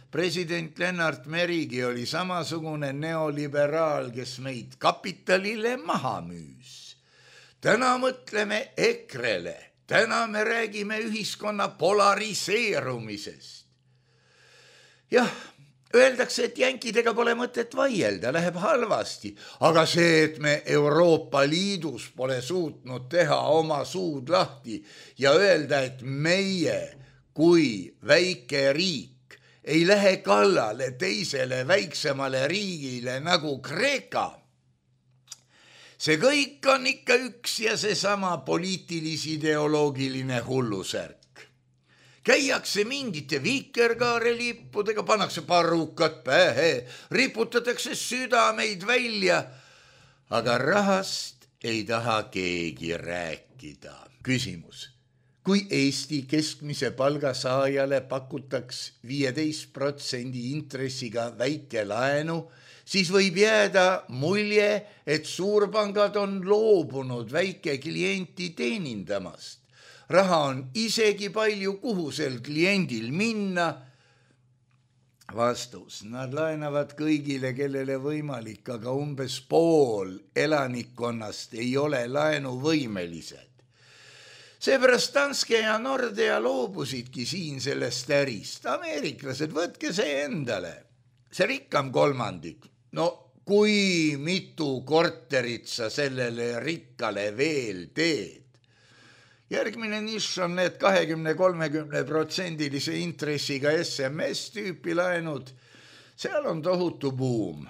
President Lennart Merigi oli samasugune neoliberaal, kes meid kapitalile maha müüs. Täna mõtleme ekrele, täna me räägime ühiskonna polariseerumisest. Jah, öeldakse, et jänkidega pole mõtet vaielda, läheb halvasti, aga see, et me Euroopa Liidus pole suutnud teha oma suud lahti ja öelda, et meie kui väike riik ei lähe kallale teisele väiksemale riigile nagu Kreeka, see kõik on ikka üks ja seesama poliitilis-ideoloogiline hullusärk. Käiakse mingite vikerkaarelippudega, pannakse parrukad pähe, riputatakse südameid välja, aga rahast ei taha keegi rääkida. Küsimus. Kui Eesti keskmise palgasaajale pakutaks viieteist protsendi intressiga väike laenu, siis võib jääda mulje, et suurpangad on loobunud väike klienti teenindamast. Raha on isegi palju, kuhu sel kliendil minna. Vastus. Nad laenavad kõigile, kellele võimalik, aga umbes pool elanikkonnast ei ole laenuvõimelised. Seepärast Danske ja Nordea loobusidki siin sellest ärist. Ameeriklased, võtke see endale. See rikkam kolmandik. No kui mitu korterit sa sellele rikkale veel teed? Järgmine nišš on need kakskümmend kolmekümne protsendilise intressiga S M S-tüüpi laenud. Seal on tohutu buum.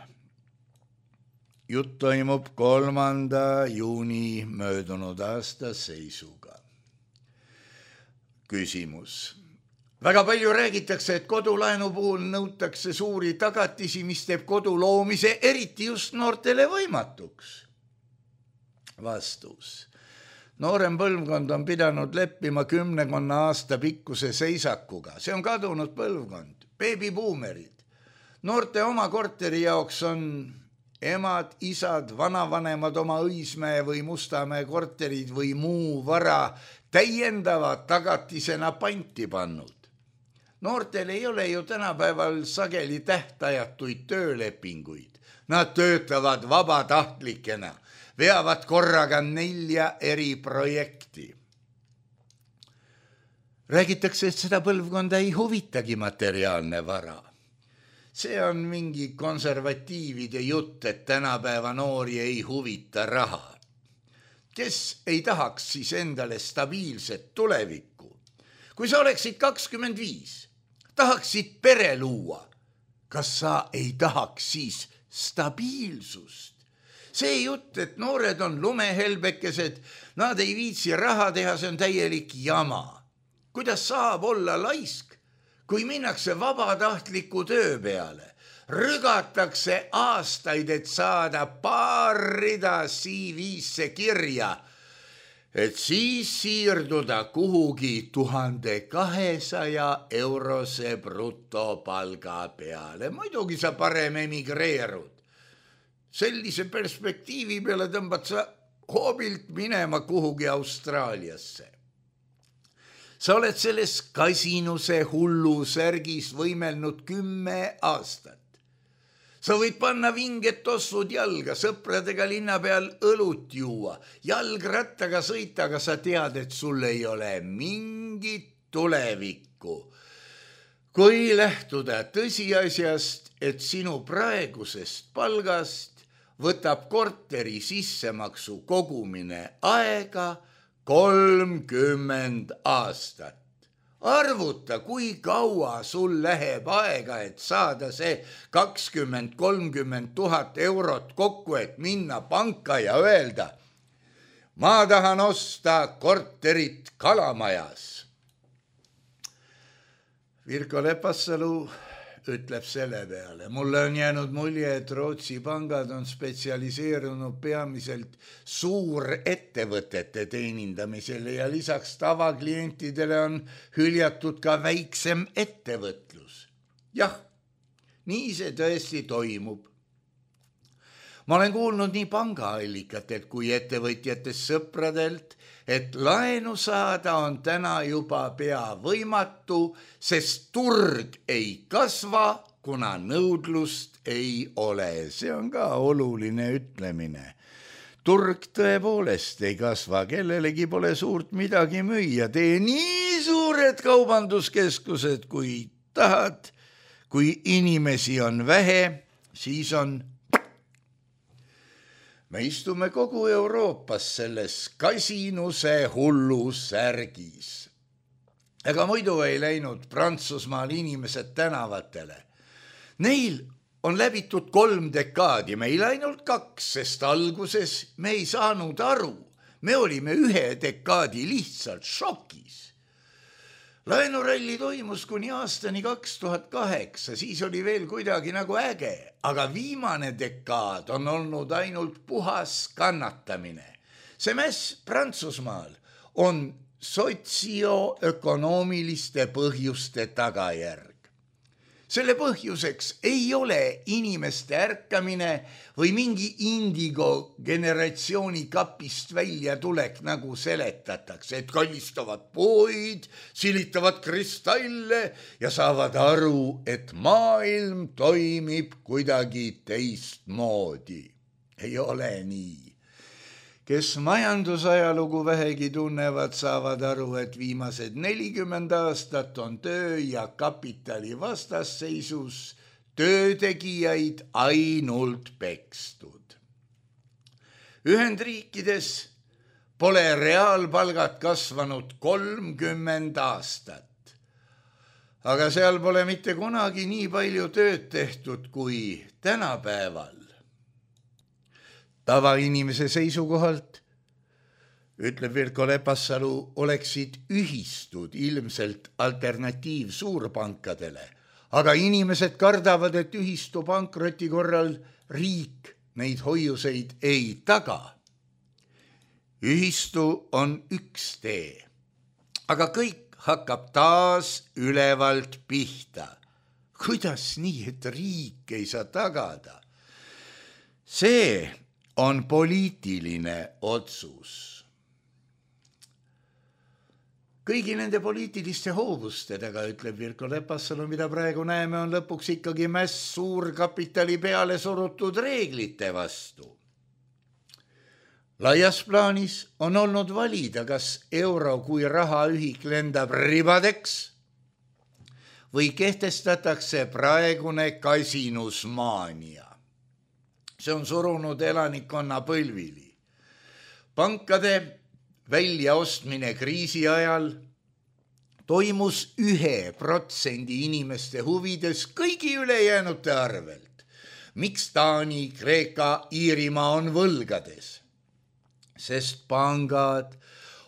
Jutt toimub kolmanda juuni möödunud aasta seisuga. Küsimus. Väga palju räägitakse, et kodulaenu puhul nõutakse suuri tagatisi, mis teeb kodu loomise eriti just noortele võimatuks. Vastus. Noorem põlvkond on pidanud leppima kümnekonna aasta pikkuse seisakuga. See on kadunud põlvkond, beebibuumerid. Noorte oma korteri jaoks on emad, isad, vanavanemad oma Õismäe või Mustamäe korterid või muu vara täiendava tagatisena panti pannud. Noortel ei ole ju tänapäeval sageli tähtajatuid töölepinguid. Nad töötavad vabatahtlikena, veavad korraga nelja eri projekti. Räägitakse, et seda põlvkonda ei huvitagi materiaalne vara. See on mingi konservatiivide jutt, et tänapäeva noori ei huvita raha. Kes ei tahaks siis endale stabiilset tulevikku? Kui sa oleksid kakskümmend viis, tahaksid pere luua, kas sa ei tahaks siis stabiilsust? See jutt, et noored on lumehelbekesed, nad ei viitsi raha teha, see on täielik jama. Kuidas saab olla laisk, kui minnakse vabatahtliku töö peale? Rügatakse aastaid, et saada paar rida C V-sse kirja, et siis siirduda kuhugi tuhande kahesaja eurose brutopalga peale. Muidugi sa parem emigreerud. Sellise perspektiivi peale tõmbad sa hoobilt minema kuhugi Austraaliasse. Sa oled selles kasinuse hullu särgis võimelnud kümme aastat. Sa võid panna vinged tossud jalga, sõpradega linna peal õlut juua, jalgrattaga sõita, aga sa tead, et sul ei ole mingit tulevikku. Kui lähtuda tõsiasjast, et sinu praegusest palgast võtab korteri sissemaksu kogumine aega kolmkümmend aastat. Arvuta, kui kaua sul läheb aega, et saada see kakskümmend kolmkümmend tuhat eurot kokku, et minna panka ja öelda, ma tahan osta korterit Kalamajas. Virko Lepassalu ütleb selle peale. Mulle on jäänud mulje, et Rootsi pangad on spetsialiseerunud peamiselt suurettevõtete teenindamisele ja lisaks tavaklientidele on hüljatud ka väiksem ettevõtlus. Jah, nii see tõesti toimub. Ma olen kuulnud nii pangaallikatelt kui ettevõtjatest sõpradelt, et laenu saada on täna juba pea võimatu, sest turg ei kasva, kuna nõudlust ei ole. See on ka oluline ütlemine. Turg tõepoolest ei kasva, kellelegi pole suurt midagi müüa. Tee nii suured kaubanduskeskused, kui tahad. Kui inimesi on vähe, siis on me istume kogu Euroopas selles kasinuse hullu särgis. Ega muidu ei läinud Prantsusmaal inimesed tänavatele. Neil on läbitud kolm dekaadi, meil ainult kaks, sest alguses me ei saanud aru. Me olime ühe dekaadi lihtsalt šokis. Laenuralli toimus kuni aastani kaks tuhat kaheksa, siis oli veel kuidagi nagu äge, aga viimane dekaad on olnud ainult puhas kannatamine. See mäss Prantsusmaal on sotsioökonoomiliste põhjuste tagajärg. Selle põhjuseks ei ole inimeste ärkamine või mingi indigo generatsiooni kapist välja tulek, nagu seletatakse, et kallistavad puid, silitavad kristalle ja saavad aru, et maailm toimib kuidagi teistmoodi. Ei ole nii. Kes majandusajalugu vähegi tunnevad, saavad aru, et viimased nelikümmend aastat on töö ja kapitali vastasseisus töötegijaid ainult pekstud. Ühendriikides pole reaalpalgad kasvanud kolmkümmend aastat, aga seal pole mitte kunagi nii palju tööd tehtud kui tänapäeval. Tavainimese seisukohalt, ütleb Virko Lepassalu, oleksid ühistud ilmselt alternatiiv suurpankadele, aga inimesed kardavad, et ühistu pankroti korral riik neid hoiuseid ei taga. Ühistu on üks tee, aga kõik hakkab taas ülevalt pihta. Kuidas nii, et riik ei saa tagada? See on poliitiline otsus. kõigi nende poliitiliste hoovustedega, ütleb Virko Lepassalu, mida praegu näeme, on lõpuks ikkagi mäss suurkapitali peale surutud reeglite vastu. Laias plaanis on olnud valida, kas euro kui rahaühik lendab ribadeks või kehtestatakse praegune kasinusmaania. See on surunud elanikkonna põlvili. Pankade väljaostmine kriisi ajal toimus ühe protsendi inimeste huvides kõigi ülejäänute arvelt. Miks Taani, Kreeka, Iirimaa on võlgades? Sest pangad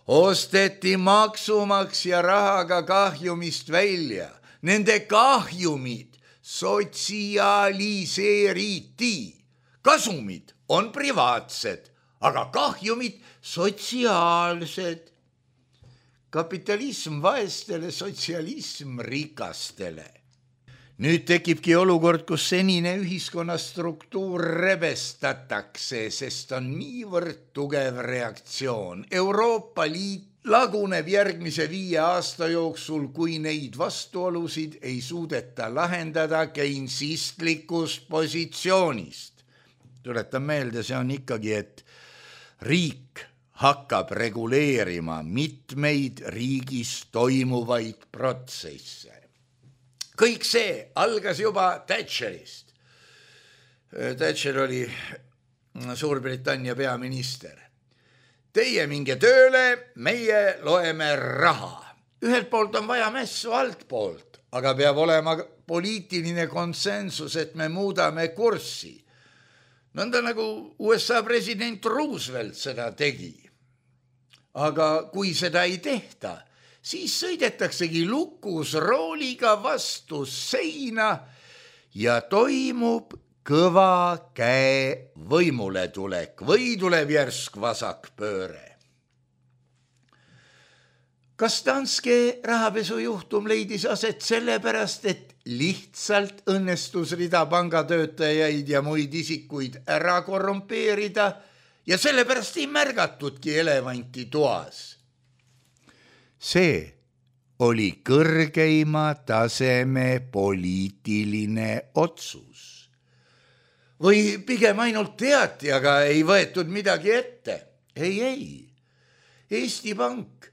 osteti maksumaksja rahaga kahjumist välja. Nende kahjumid sotsialiseeriti. Kasumid on privaatsed, aga kahjumid sotsiaalsed. Kapitalism vaestele, sotsialism rikastele. Nüüd tekibki olukord, kus senine ühiskonna struktuur rebestatakse, sest on niivõrd tugev reaktsioon. Euroopa Liit laguneb järgmise viie aasta jooksul, kui neid vastuolusid ei suudeta lahendada keinsistlikust positsioonist. Tuletan meelde, see on ikkagi, et riik hakkab reguleerima mitmeid riigis toimuvaid protsesse. Kõik see algas juba Thatcherist. Thatcher oli Suurbritannia peaminister. Teie minge tööle, meie loeme raha. Ühelt poolt on vaja mässu alt poolt, aga peab olema poliitiline konsensus, et me muudame kurssi. Nõnda nagu U S A president Roosevelt seda tegi. Aga kui seda ei tehta, siis sõidetaksegi lukus rooliga vastu seina ja toimub kõva käe võimule tulek või tuleb järsk vasakpööre. Kas Danske rahapesujuhtum leidis aset sellepärast, et lihtsalt õnnestus rida pangatöötajaid ja muid isikuid ära korrumpeerida ja sellepärast ei märgatudki elevanti toas? See oli kõrgeima taseme poliitiline otsus. Või pigem ainult teati, aga ei võetud midagi ette. Ei, ei. Eesti Pank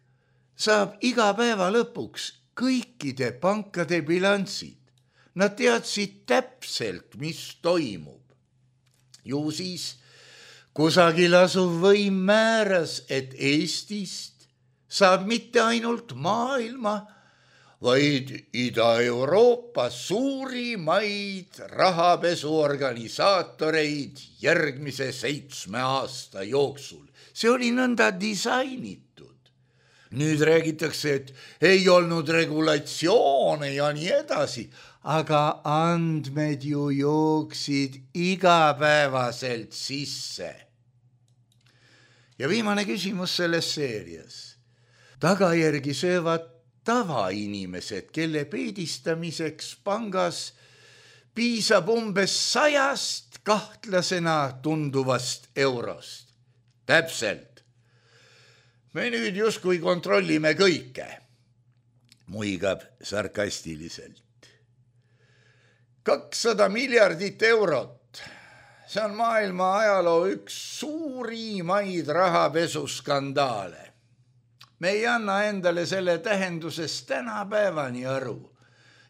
saab iga päeva lõpuks kõikide pankade bilansid. Nad teadsid täpselt, mis toimub. Ju siis kusagil asuv võim määras, et Eestist saab mitte ainult maailma, vaid Ida-Euroopa suurimaid rahapesuorganisaatoreid järgmise seitsme aasta jooksul. See oli nõnda disainitud. Nüüd räägitakse, et ei olnud regulatsioone ja nii edasi, aga andmed ju jooksid igapäevaselt sisse. Ja viimane küsimus selles seerias. Tagajärgi söövad tavainimesed, kelle peedistamiseks pangas piisab umbes sajast kahtlasena tunduvast eurost. Täpselt. Me nüüd justkui kontrollime kõike, muigab sarkastiliselt. kakssada miljardit eurot. See on maailma ajaloo üks suurimaid rahapesuskandaale. Me ei anna endale selle tähendusest tänapäevani aru.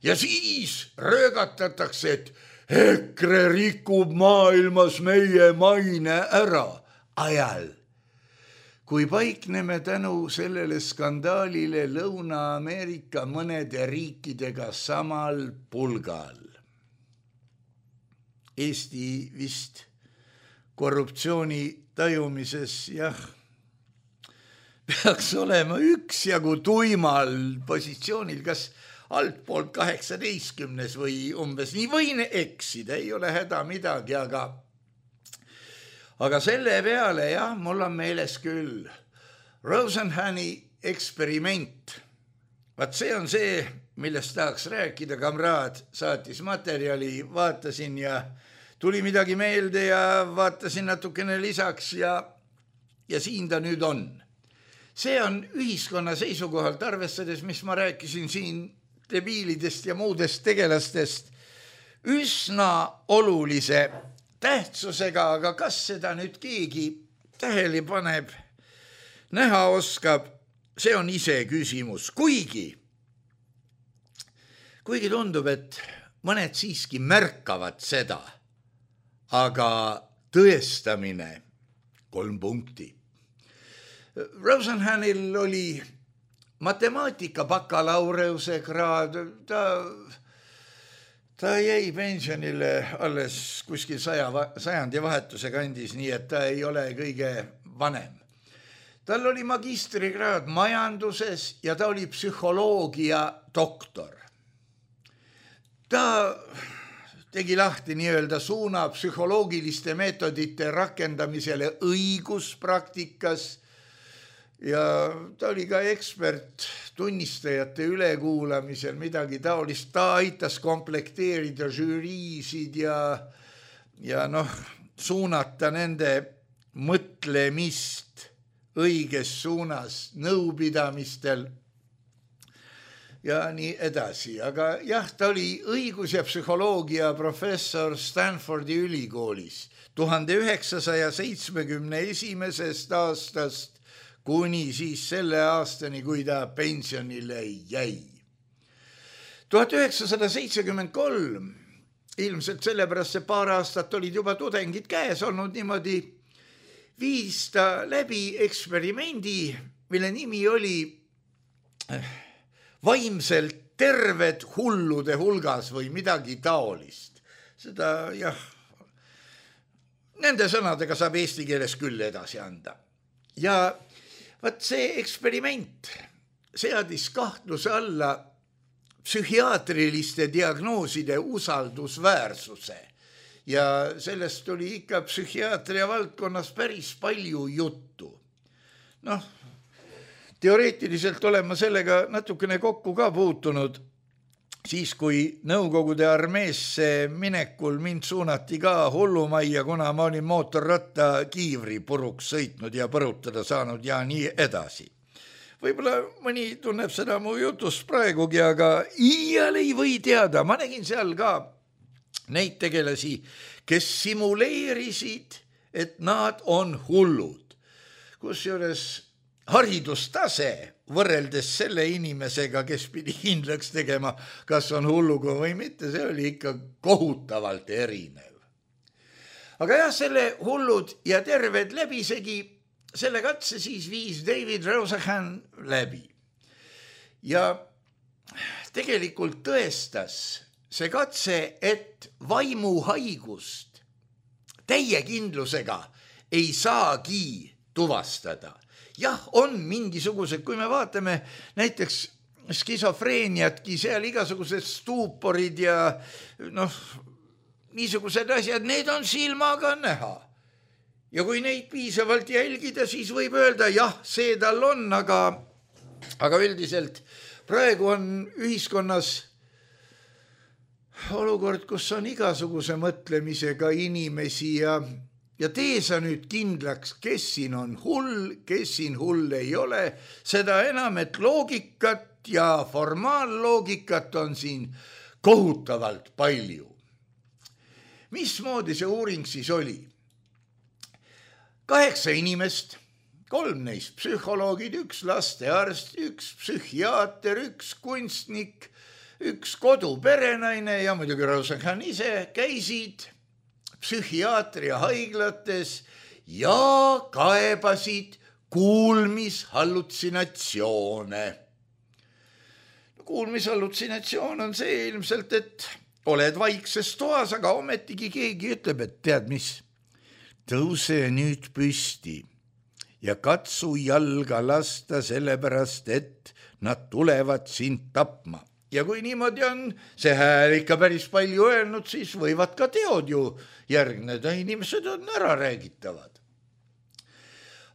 Ja siis röögatatakse, et EKRE rikub maailmas meie maine ära ajal, kui paikneme tänu sellele skandaalile Lõuna-Ameerika mõnede riikidega samal pulgal. Eesti vist korruptsiooni tajumises, jah, peaks olema üksjagu tuimal positsioonil, kas altpoolt kaheksateistkümnes või umbes nii, võin eksida, ei ole häda midagi, aga aga selle peale, jah, mul on meeles küll Rosenhani eksperiment. Vaat see on see, millest tahaks rääkida, kamraad saatis materjali, vaatasin ja tuli midagi meelde ja vaatasin natukene lisaks ja, ja siin ta nüüd on. see on ühiskonna seisukohalt, arvestades, mis ma rääkisin siin debiilidest ja muudest tegelastest, üsna olulise tähtsusega, aga kas seda nüüd keegi tähele paneb, näha oskab, see on ise küsimus. Kuigi, kuigi tundub, et mõned siiski märkavad seda, aga tõestamine kolm punkti. Rosenhanil oli matemaatika bakalaureuse kraad, ta, ta jäi pensionile alles kuskil saja, sajandi vahetuse kandis, nii et ta ei ole kõige vanem. Tal oli magistrikraad majanduses ja ta oli psühholoogia doktor. Ta tegi lahti nii-öelda suuna psühholoogiliste meetodite rakendamisele õiguspraktikas ja ta oli ka ekspert tunnistajate ülekuulamisel, midagi taolist. Ta aitas komplekteerida žüriisid ja, ja noh, suunata nende mõtlemist õiges suunas nõupidamistel ja nii edasi. Aga jah, ta oli õigus- ja psühholoogia professor Stanfordi ülikoolis tuhande üheksasaja seitsmekümne esimesest aastast kuni siis selle aastani, kui ta pensionile jäi. tuhat üheksasada seitsekümmend kolm, ilmselt sellepärast see paar aastat olid juba tudengid käes olnud niimoodi, viis ta läbi eksperimendi, mille nimi oli vaimselt terved hullude hulgas või midagi taolist. Seda, jah, nende sõnadega saab eesti keeles küll edasi anda. Ja vaat see eksperiment seadis kahtluse alla psühhiaatriliste diagnooside usaldusväärsuse ja sellest oli ikka psühhiaatria valdkonnas päris palju juttu. Noh, teoreetiliselt olen ma sellega natukene kokku ka puutunud, siis kui Nõukogude armeesse minekul mind suunati ka hullumajja, kuna ma olin mootorratta kiivri puruks sõitnud ja põrutada saanud ja nii edasi. Võib-olla mõni tunneb seda mu jutust praegugi, aga iial ei või teada. Ma nägin seal ka neid tegelasi, kes simuleerisid, et nad on hullud. Kusjuures haridustase võrreldes selle inimesega, kes pidi kindlaks tegema, kas on hulluga või mitte, see oli ikka kohutavalt erinev. Aga jah, selle hullud ja terved läbisegi, selle katse siis viis David Rosenhan läbi. Ja tegelikult tõestas see katse, et vaimuhaigust täie kindlusega ei saagi tuvastada. Jah, on mingisugused, kui me vaatame näiteks skisofreeniatki, seal igasugused stuuporid ja noh, niisugused asjad, need on silmaga näha. Ja kui neid piisavalt jälgida, siis võib öelda, jah, see tal on, aga, aga üldiselt praegu on ühiskonnas olukord, kus on igasuguse mõtlemisega inimesi ja Ja tee sa nüüd kindlaks, kes siin on hull, kes siin hull ei ole, seda enam, et loogikat ja formaalloogikat on siin kohutavalt palju. Mismoodi see uuring siis oli? Kaheksa inimest, kolm neist psühholoogid, üks lastearst, üks psühhiaater, üks kunstnik, üks koduperenaine ja muidugi Rosenhan ise käisid psühhiaatria haiglates ja kaebasid kuulmishallutsinatsioone. Kuulmishallutsinatsioon on see ilmselt, et oled vaikses toas, aga ometigi keegi ütleb, et tead mis, tõuse nüüd püsti ja katsu jalga lasta sellepärast, et nad tulevad sind tapma. Ja kui niimoodi on see hääl ikka päris palju öelnud, siis võivad ka teod ju järgneda, inimesed on ära räägitavad.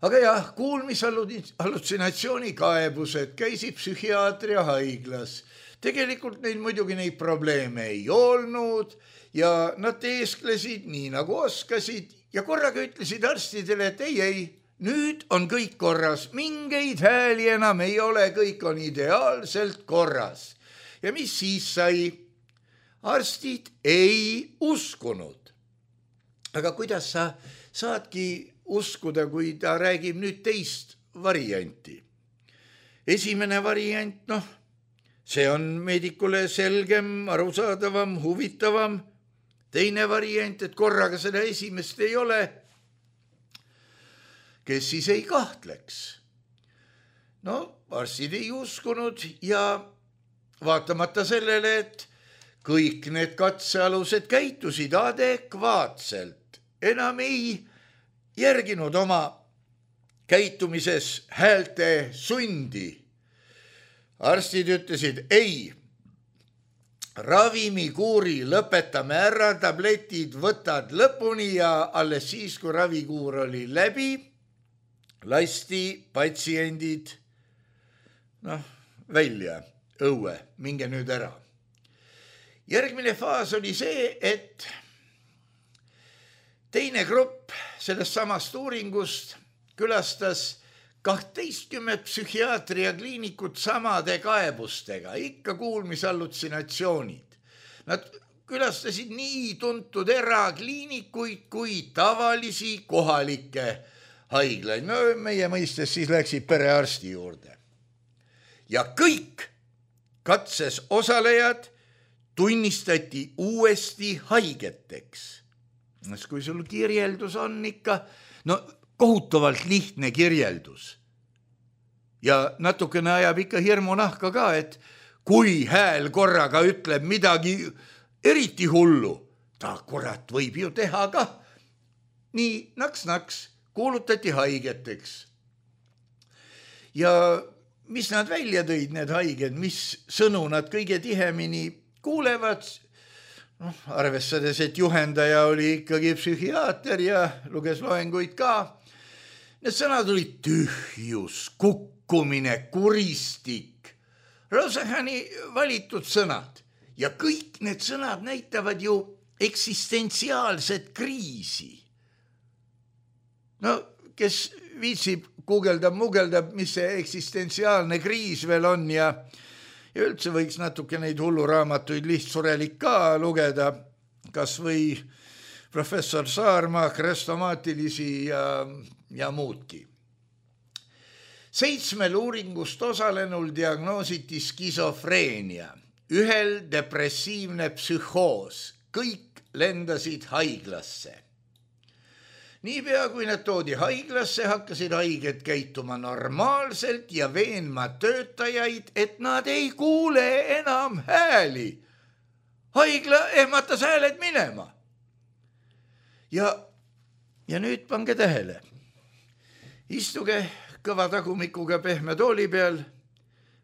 Aga jah, kuulmishallutsinatsiooni kaebused käisid psühhiaatria haiglas. Tegelikult neil muidugi neid probleeme ei olnud ja nad teesklesid nii nagu oskasid ja korraga ütlesid arstidele, et ei, ei, nüüd on kõik korras, mingeid hääli enam ei ole, kõik on ideaalselt korras. Ja mis siis sai? Arstid ei uskunud. Aga kuidas sa saadki uskuda, kui ta räägib nüüd teist varianti? Esimene variant, noh, see on meedikule selgem, arusaadavam, huvitavam. Teine variant, et korraga seda esimest ei ole, kes siis ei kahtleks. No, arstid ei uskunud ja vaatamata sellele, et kõik need katsealused käitusid adekvaatselt, enam ei järginud oma käitumises häälte sundi. Arstid ütlesid, ei, ravimikuuri lõpetame ära, tabletid võtad lõpuni ja alles siis, kui ravikuur oli läbi, lasti patsiendid noh, välja õue, minge nüüd ära. Järgmine faas oli see, et teine grupp sellest samast uuringust külastas kahteistkümmet psühhiaatria kliinikut samade kaebustega, ikka kuulmisallutsinatsioonid. Nad külastasid nii tuntud erakliinikuid kui tavalisi kohalikke haiglaid. No meie mõistes siis läksid perearsti juurde. Ja kõik katses osalejad tunnistati uuesti haigeteks. Kui sul kirjeldus on ikka, no kohutavalt lihtne kirjeldus. Ja natukene ajab ikka hirmu nahka ka, et kui hääl korraga ütleb midagi eriti hullu, ta kurat võib ju teha ka. Nii naks-naks kuulutati haigeteks. Ja mis nad välja tõid, need haiged, mis sõnu nad kõige tihemini kuulevad, no, arvestades, et juhendaja oli ikkagi psühhiaater ja luges loenguid ka. Need sõnad olid tühjus, kukkumine, kuristik. Rosahani valitud sõnad. Ja kõik need sõnad näitavad ju eksistentsiaalset kriisi. No, kes viitsib guugeldab, mugeldab, mis see eksistentsiaalne kriis veel on ja, ja üldse võiks natuke neid hulluraamatuid lihtsurelik ka lugeda, kas või professor Saarma krestomaatilisi ja, ja muudki. Seitsmel uuringust osalenul diagnoositi skisofreenia, ühel depressiivne psühhoos, kõik lendasid haiglasse. Niipea kui nad toodi haiglasse, hakkasid haiged käituma normaalselt ja veenma töötajaid, et nad ei kuule enam hääli. Haigla ehmatas hääled minema. Ja, ja nüüd pange tähele. Istuge kõva tagumikuga pehme tooli peal.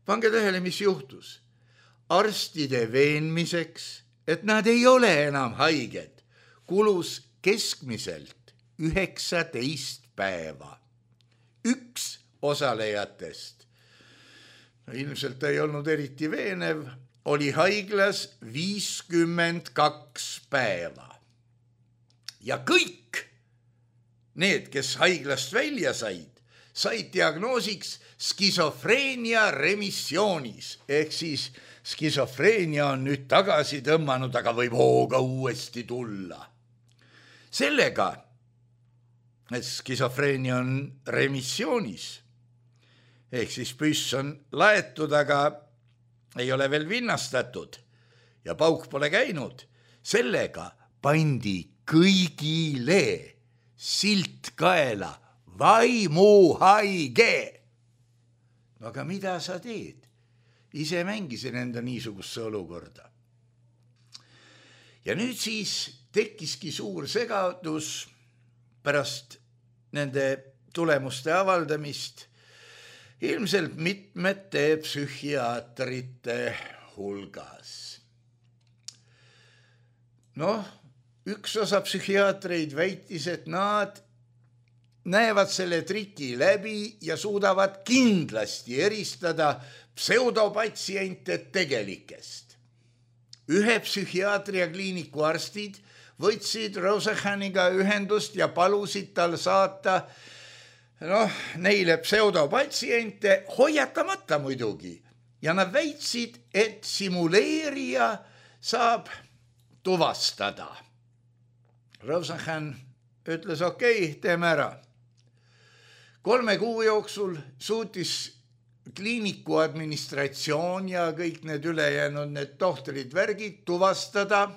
Pange tähele, mis juhtus. Arstide veenmiseks, et nad ei ole enam haiged, kulus keskmiselt üheksateist päeva. Üks osalejatest, no ilmselt ei olnud eriti veenev, oli haiglas viiskümmend kaks päeva. Ja kõik need, kes haiglast välja said, said diagnoosiks skisofreenia remissioonis. Ehk siis skisofreenia on nüüd tagasi tõmmanud, aga võib hooga uuesti tulla. Sellega, et skisofreenia on remissioonis, ehk siis püss on laetud, aga ei ole veel vinnastatud ja pauk pole käinud, sellega pandi kõigile silt kaela, vaimuhaige. Aga mida sa teed? Ise mängisin enda niisugusesse olukorda. Ja nüüd siis tekkiski suur segadus pärast nende tulemuste avaldamist ilmselt mitmete psühhiaatrite hulgas. Noh, üks osa psühhiaatreid väitis, et nad näevad selle triki läbi ja suudavad kindlasti eristada pseudopatsiente tegelikest. Ühe psühhiaatria kliiniku arstid võtsid Rosahaniga ühendust ja palusid tal saata noh, neile pseudopatsiente hoiatamata muidugi ja nad väitsid, et simuleerija saab tuvastada. Rosenhan ütles, okei, okay, teeme ära. Kolme kuu jooksul suutis kliiniku administratsioon ja kõik need ülejäänud need tohtrid värgid tuvastada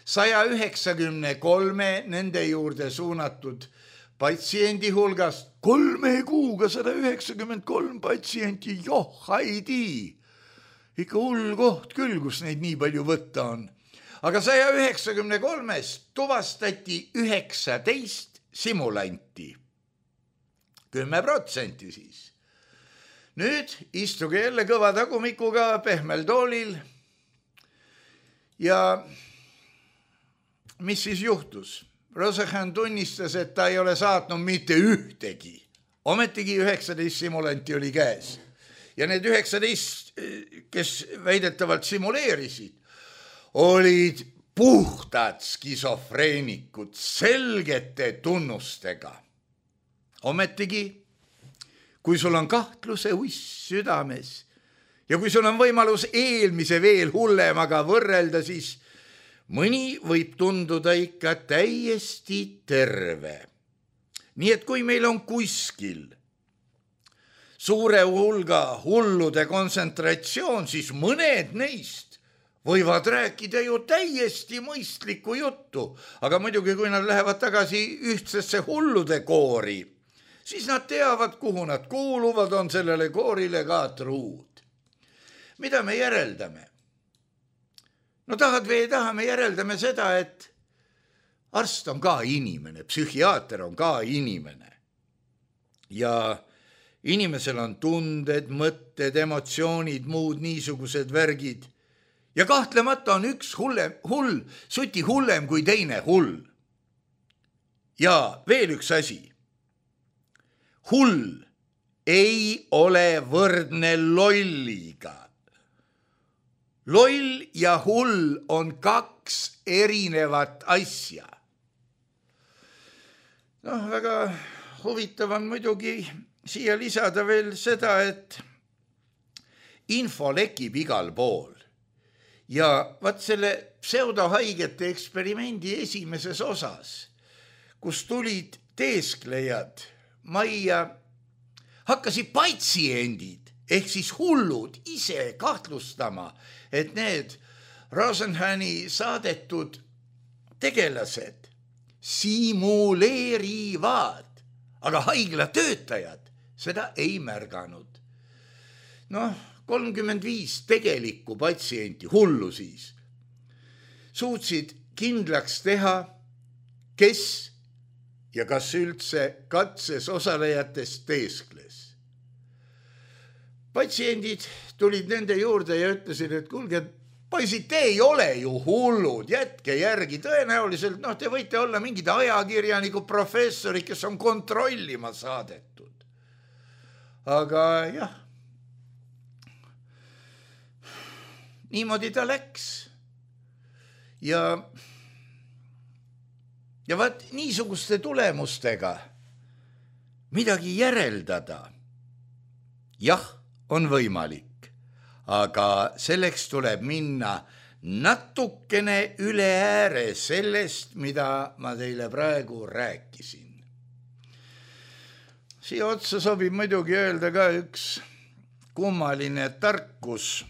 saja üheksakümne kolme nende juurde suunatud patsiendi hulgast. Kolme kuuga sada üheksakümmend kolm patsienti, joh, haidi. Ikka hull koht küll, kus neid nii palju võtta on. Aga saja üheksakümne kolmest tuvastati üheksateist simulanti. Kümme protsenti siis. Nüüd istuge jälle kõva tagumikuga pehmel toolil ja mis siis juhtus? Rosenhan tunnistas, et ta ei ole saatnud mitte ühtegi. Ometigi üheksateist simulanti oli käes. Ja need üheksateist, kes väidetavalt simuleerisid, olid puhtad skisofreenikud selgete tunnustega. Ometigi, kui sul on kahtluse uss südames ja kui sul on võimalus eelmise veel hullemaga võrrelda, siis mõni võib tunduda ikka täiesti terve. Nii et kui meil on kuskil suure hulga hullude kontsentratsioon, siis mõned neist võivad rääkida ju täiesti mõistlikku juttu, aga muidugi kui nad lähevad tagasi ühtsesse hullude koori, siis nad teavad, kuhu nad kuuluvad, on sellele koorile ka truud. Mida me järeldame? No tahad või ei taha, me järeldame seda, et arst on ka inimene, psühhiaater on ka inimene. Ja inimesel on tunded, mõtted, emotsioonid, muud niisugused värgid. Ja kahtlemata on üks hullem, hull, suti hullem kui teine hull. Ja veel üks asi. Hull ei ole võrdne lolliga. Loll ja hull on kaks erinevat asja. Noh, väga huvitav on muidugi siia lisada veel seda, et info lekib igal pool. Ja vaat selle pseudohaigete eksperimendi esimeses osas, kus tulid teesklejad majja, hakkasid patsiendid ehk siis hullud ise kahtlustama, et need Rosenhani saadetud tegelased simuleerivad, aga haigla töötajad seda ei märganud. Noh, kolmkümmend viis tegelikku patsienti, hullu siis, suutsid kindlaks teha, kes ja kas üldse katses osalejatest teeskles. Patsiendid tulid nende juurde ja ütlesid, et kuulge, poisid, te ei ole ju hullud, jätke järgi. Tõenäoliselt, noh, te võite olla mingid ajakirjaniku professorid, kes on kontrollima saadetud. Aga jah, niimoodi ta läks. Ja Ja vaat niisuguste tulemustega midagi järeldada, jah, on võimalik, aga selleks tuleb minna natukene üle ääre sellest, mida ma teile praegu rääkisin. Siia otsa sobib muidugi öelda ka üks kummaline tarkus.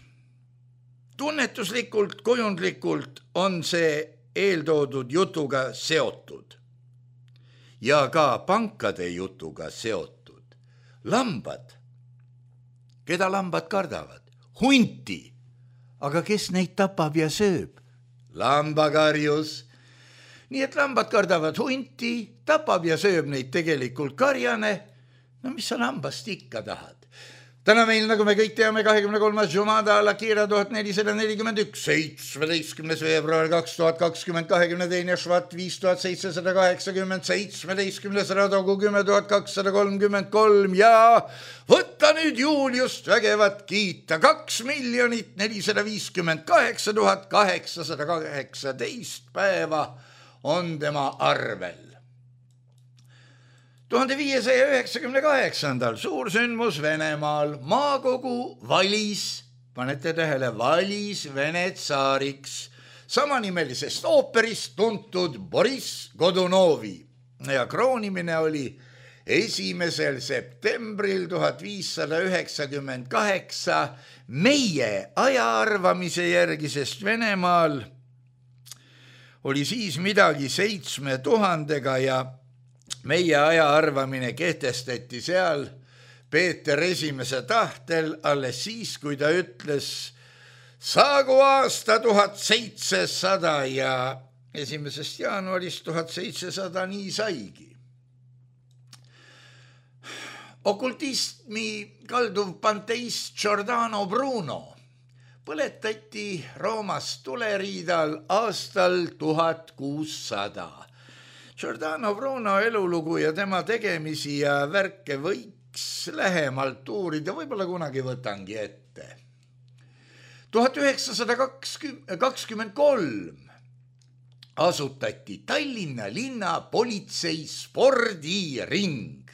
Tunnetuslikult, kujundlikult on see eeltoodud jutuga seotud ja ka pankade jutuga seotud. Lambad, keda lambad kardavad? Hunti, aga kes neid tapab ja sööb? Lambakarjus. Nii et lambad kardavad hunti, tapab ja sööb neid tegelikult karjane. No mis sa lambast ikka tahad? Täna meil, nagu me kõik teame, kahekümne kolmas Jumada Al-Akira tuhat nelisada nelikümmend üks, seitsmeteistkümnes veebruar kaks tuhat kakskümmend, kahekümne teine Švat viis tuhat seitsesada kaheksakümmend, seitsmeteistkümnes Radogu kümme tuhat kakssada kolmkümmend kolm ja võtta nüüd Juliust vägevat kiita. Kaks miljonit nelisada viiskümmend kaheksa tuhat kaheksasada kaheksateist päeva on tema arvel. tuhande viiesaja üheksakümne kaheksandal suursündmus Venemaal. Maakogu valis, panete tähele, valis Vene tsaariks samanimelisest ooperist tuntud Boriss Godunovi ja kroonimine oli esimesel septembril tuhat viissada üheksakümmend kaheksa meie ajaarvamise järgi, sest Venemaal oli siis midagi seitsme tuhandega ja meie ajaarvamine kehtestati seal Peeter Esimese tahtel alles siis, kui ta ütles saagu aasta tuhat seitsesada ja esimesest jaanuarist tuhat seitsesada nii saigi. Okultismi kalduv panteist Giordano Bruno põletati Roomas tuleriidal aastal tuhat kuussada. Giordano Bruno elulugu ja tema tegemisi ja värke võiks lähemalt uurida, võib-olla kunagi võtangi ette. tuhat üheksasada kakskümmend kolm asutati Tallinna linna politsei spordiring.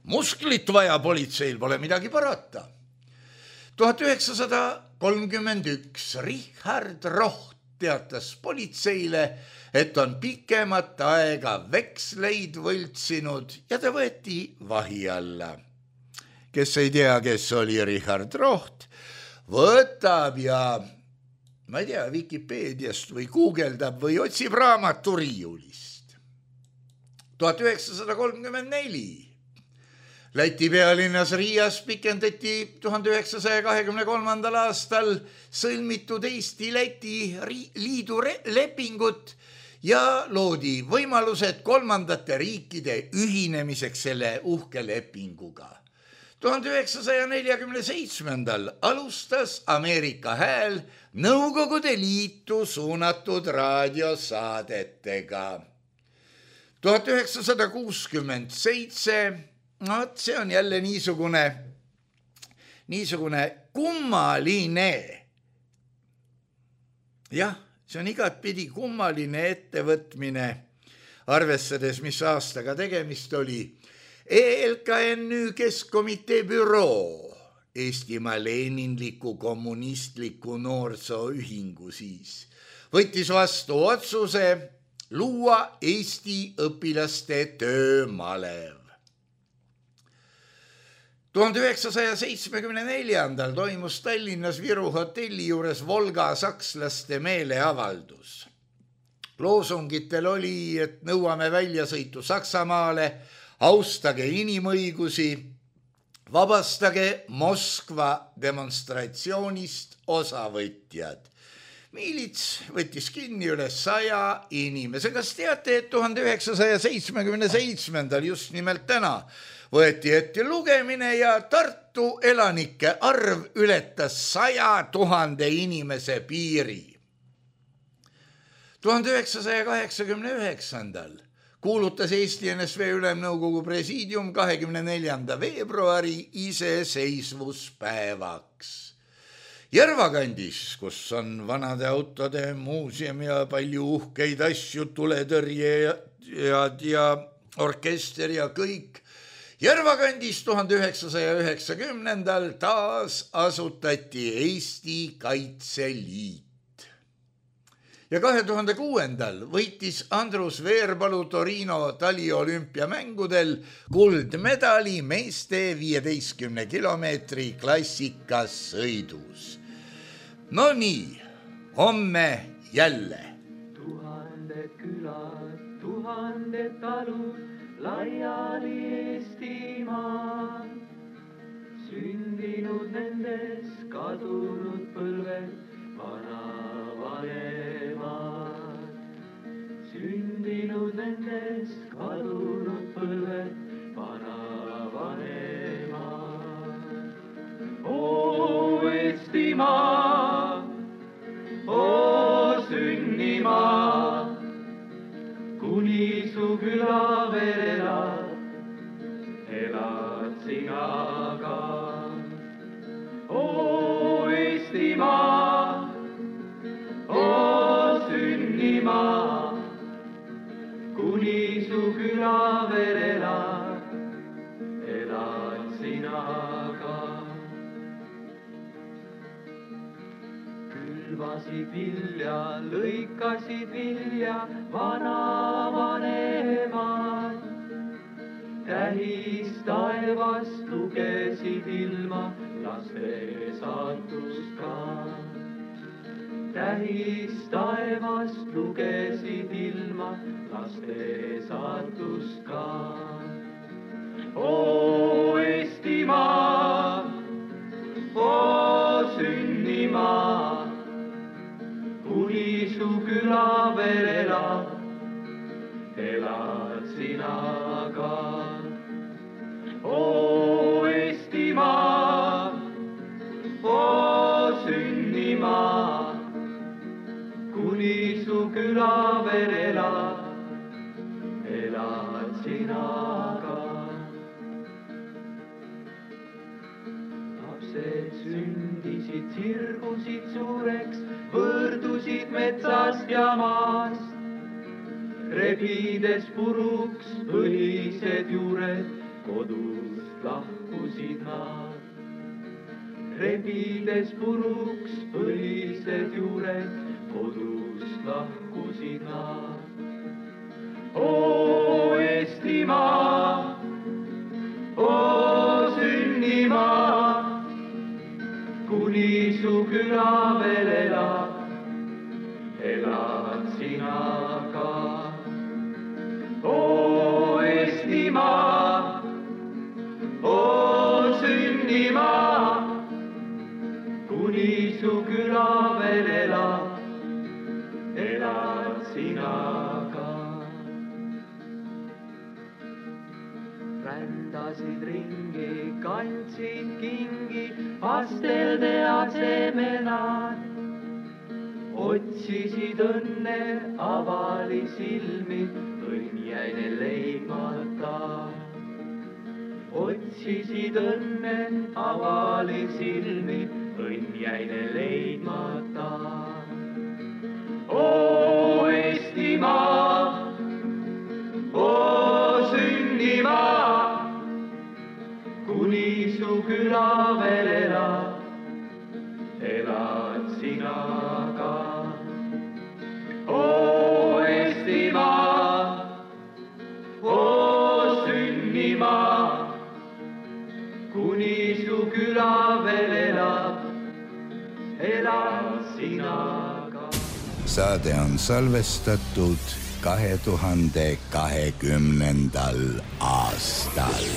Musklit vaja politseil, pole midagi parata. tuhat üheksasada kolmkümmend üks Richard Roht teatas politseile, et on pikemat aega veksleid võltsinud ja ta võeti vahi alla. Kes ei tea, kes oli Richard Roht, võtab ja, ma ei tea, Vikipeediast või guugeldab või otsib raamatu riiulist. tuhat üheksasada kolmkümmend neli Läti pealinnas Riias pikendati tuhande üheksasaja kahekümne kolmandal aastal sõlmitud Eesti-Läti liidu lepingut ja loodi võimalused kolmandate riikide ühinemiseks selle uhke lepinguga. tuhande üheksasaja neljakümne seitsmendal alustas Ameerika Hääl Nõukogude Liitu suunatud raadiosaadetega. tuhat üheksasada kuuskümmend seitse No, see on jälle niisugune, niisugune kummaline. Jah, see on igatpidi kummaline ettevõtmine, arvestades, mis aastaga tegemist oli. E L K N Ü Keskkomitee büroo, Eestimaa Leninliku kommunistliku noorsooühingu siis, võttis vastu otsuse luua Eesti õpilaste töömalev. tuhande üheksasaja seitsmekümne neljandal toimus Tallinnas Viru hotelli juures Volga sakslaste meeleavaldus. Loosungitel oli, et nõuame väljasõitu Saksamaale, austage inimõigusi, vabastage Moskva demonstratsioonist osavõtjad. Miilits võttis kinni üle saja inimese. Kas teate, et tuhande üheksasaja seitsmekümne seitsmendal just nimelt täna võeti ette lugemine ja Tartu elanike arv ületas saja tuhande inimese piiri. tuhande üheksasaja kaheksakümne üheksandal kuulutas Eesti N S V Ülemnõukogu presiidium kahekümne neljanda veebruari iseseisvuspäevaks. Järvakandis, kus on vanade autode muuseum ja palju uhkeid asju, tuletõrjejad ja orkester ja kõik, Järvakandis tuhande üheksasaja üheksakümnendal taas asutati Eesti Kaitseliit. Ja kahe tuhande kuuendal võitis Andrus Veerpalu Torino taliolümpiamängudel kuldmedali meeste viieteistkümne kilomeetri klassikas sõidus. No nii, homme jälle. Tuhanded külad, tuhanded talud, laiali Eestimaa, sündinud nendes kadunud põlved, vanavanemad. Sündinud nendes kadunud põlved, vanavanemad. Oo Eestimaa, oo sünnimaa, kuni su küla veel elad, elad sina ka. Oo Eestimaa, oo sünnimaa, kuni su küla veel elad, külvasid vilja, lõikasid vilja vanavanemad. Tähis taevast lugesid ilma laste saatust ka. Tähis taevast lugesid ilma laste saatust ka. Oo Eestimaa, oo sünnimaa, kuni su küla veel elab, elad sina ka. Oo Eestimaa, oo sünnimaa, kuni su küla veel elab, elad sina ka. Lapsed sündisid, sirgusid suureks, võrdusid metsast ja maast. Rebides puruks põlised juured, kodust lahkusid nad. Rebides puruks põlised juured, kodust lahkusid nad. Oo Eestimaa, oo sünnimaa, kuni su küla veel elab, elad sina ka. Oo Eestimaa, oo sünnimaa, kuni su küla veel elab, elad sina ka. Rändasid ringi, kandsid kingi, pastelde asemenad. Otsisid õnne, avali silmi, õnn jäi neil leidmata. Otsisid õnne, avali silmi, õnn jäi neil leidmata. Oo Eestimaa, oo sünnimaa, kuni su küla veel elab, elad sina ka. Oo Eestimaa, oo sünnimaa, kuni su küla veel elab, elad sina ka. Saade on salvestatud kahe tuhande kahekümnendal aastal.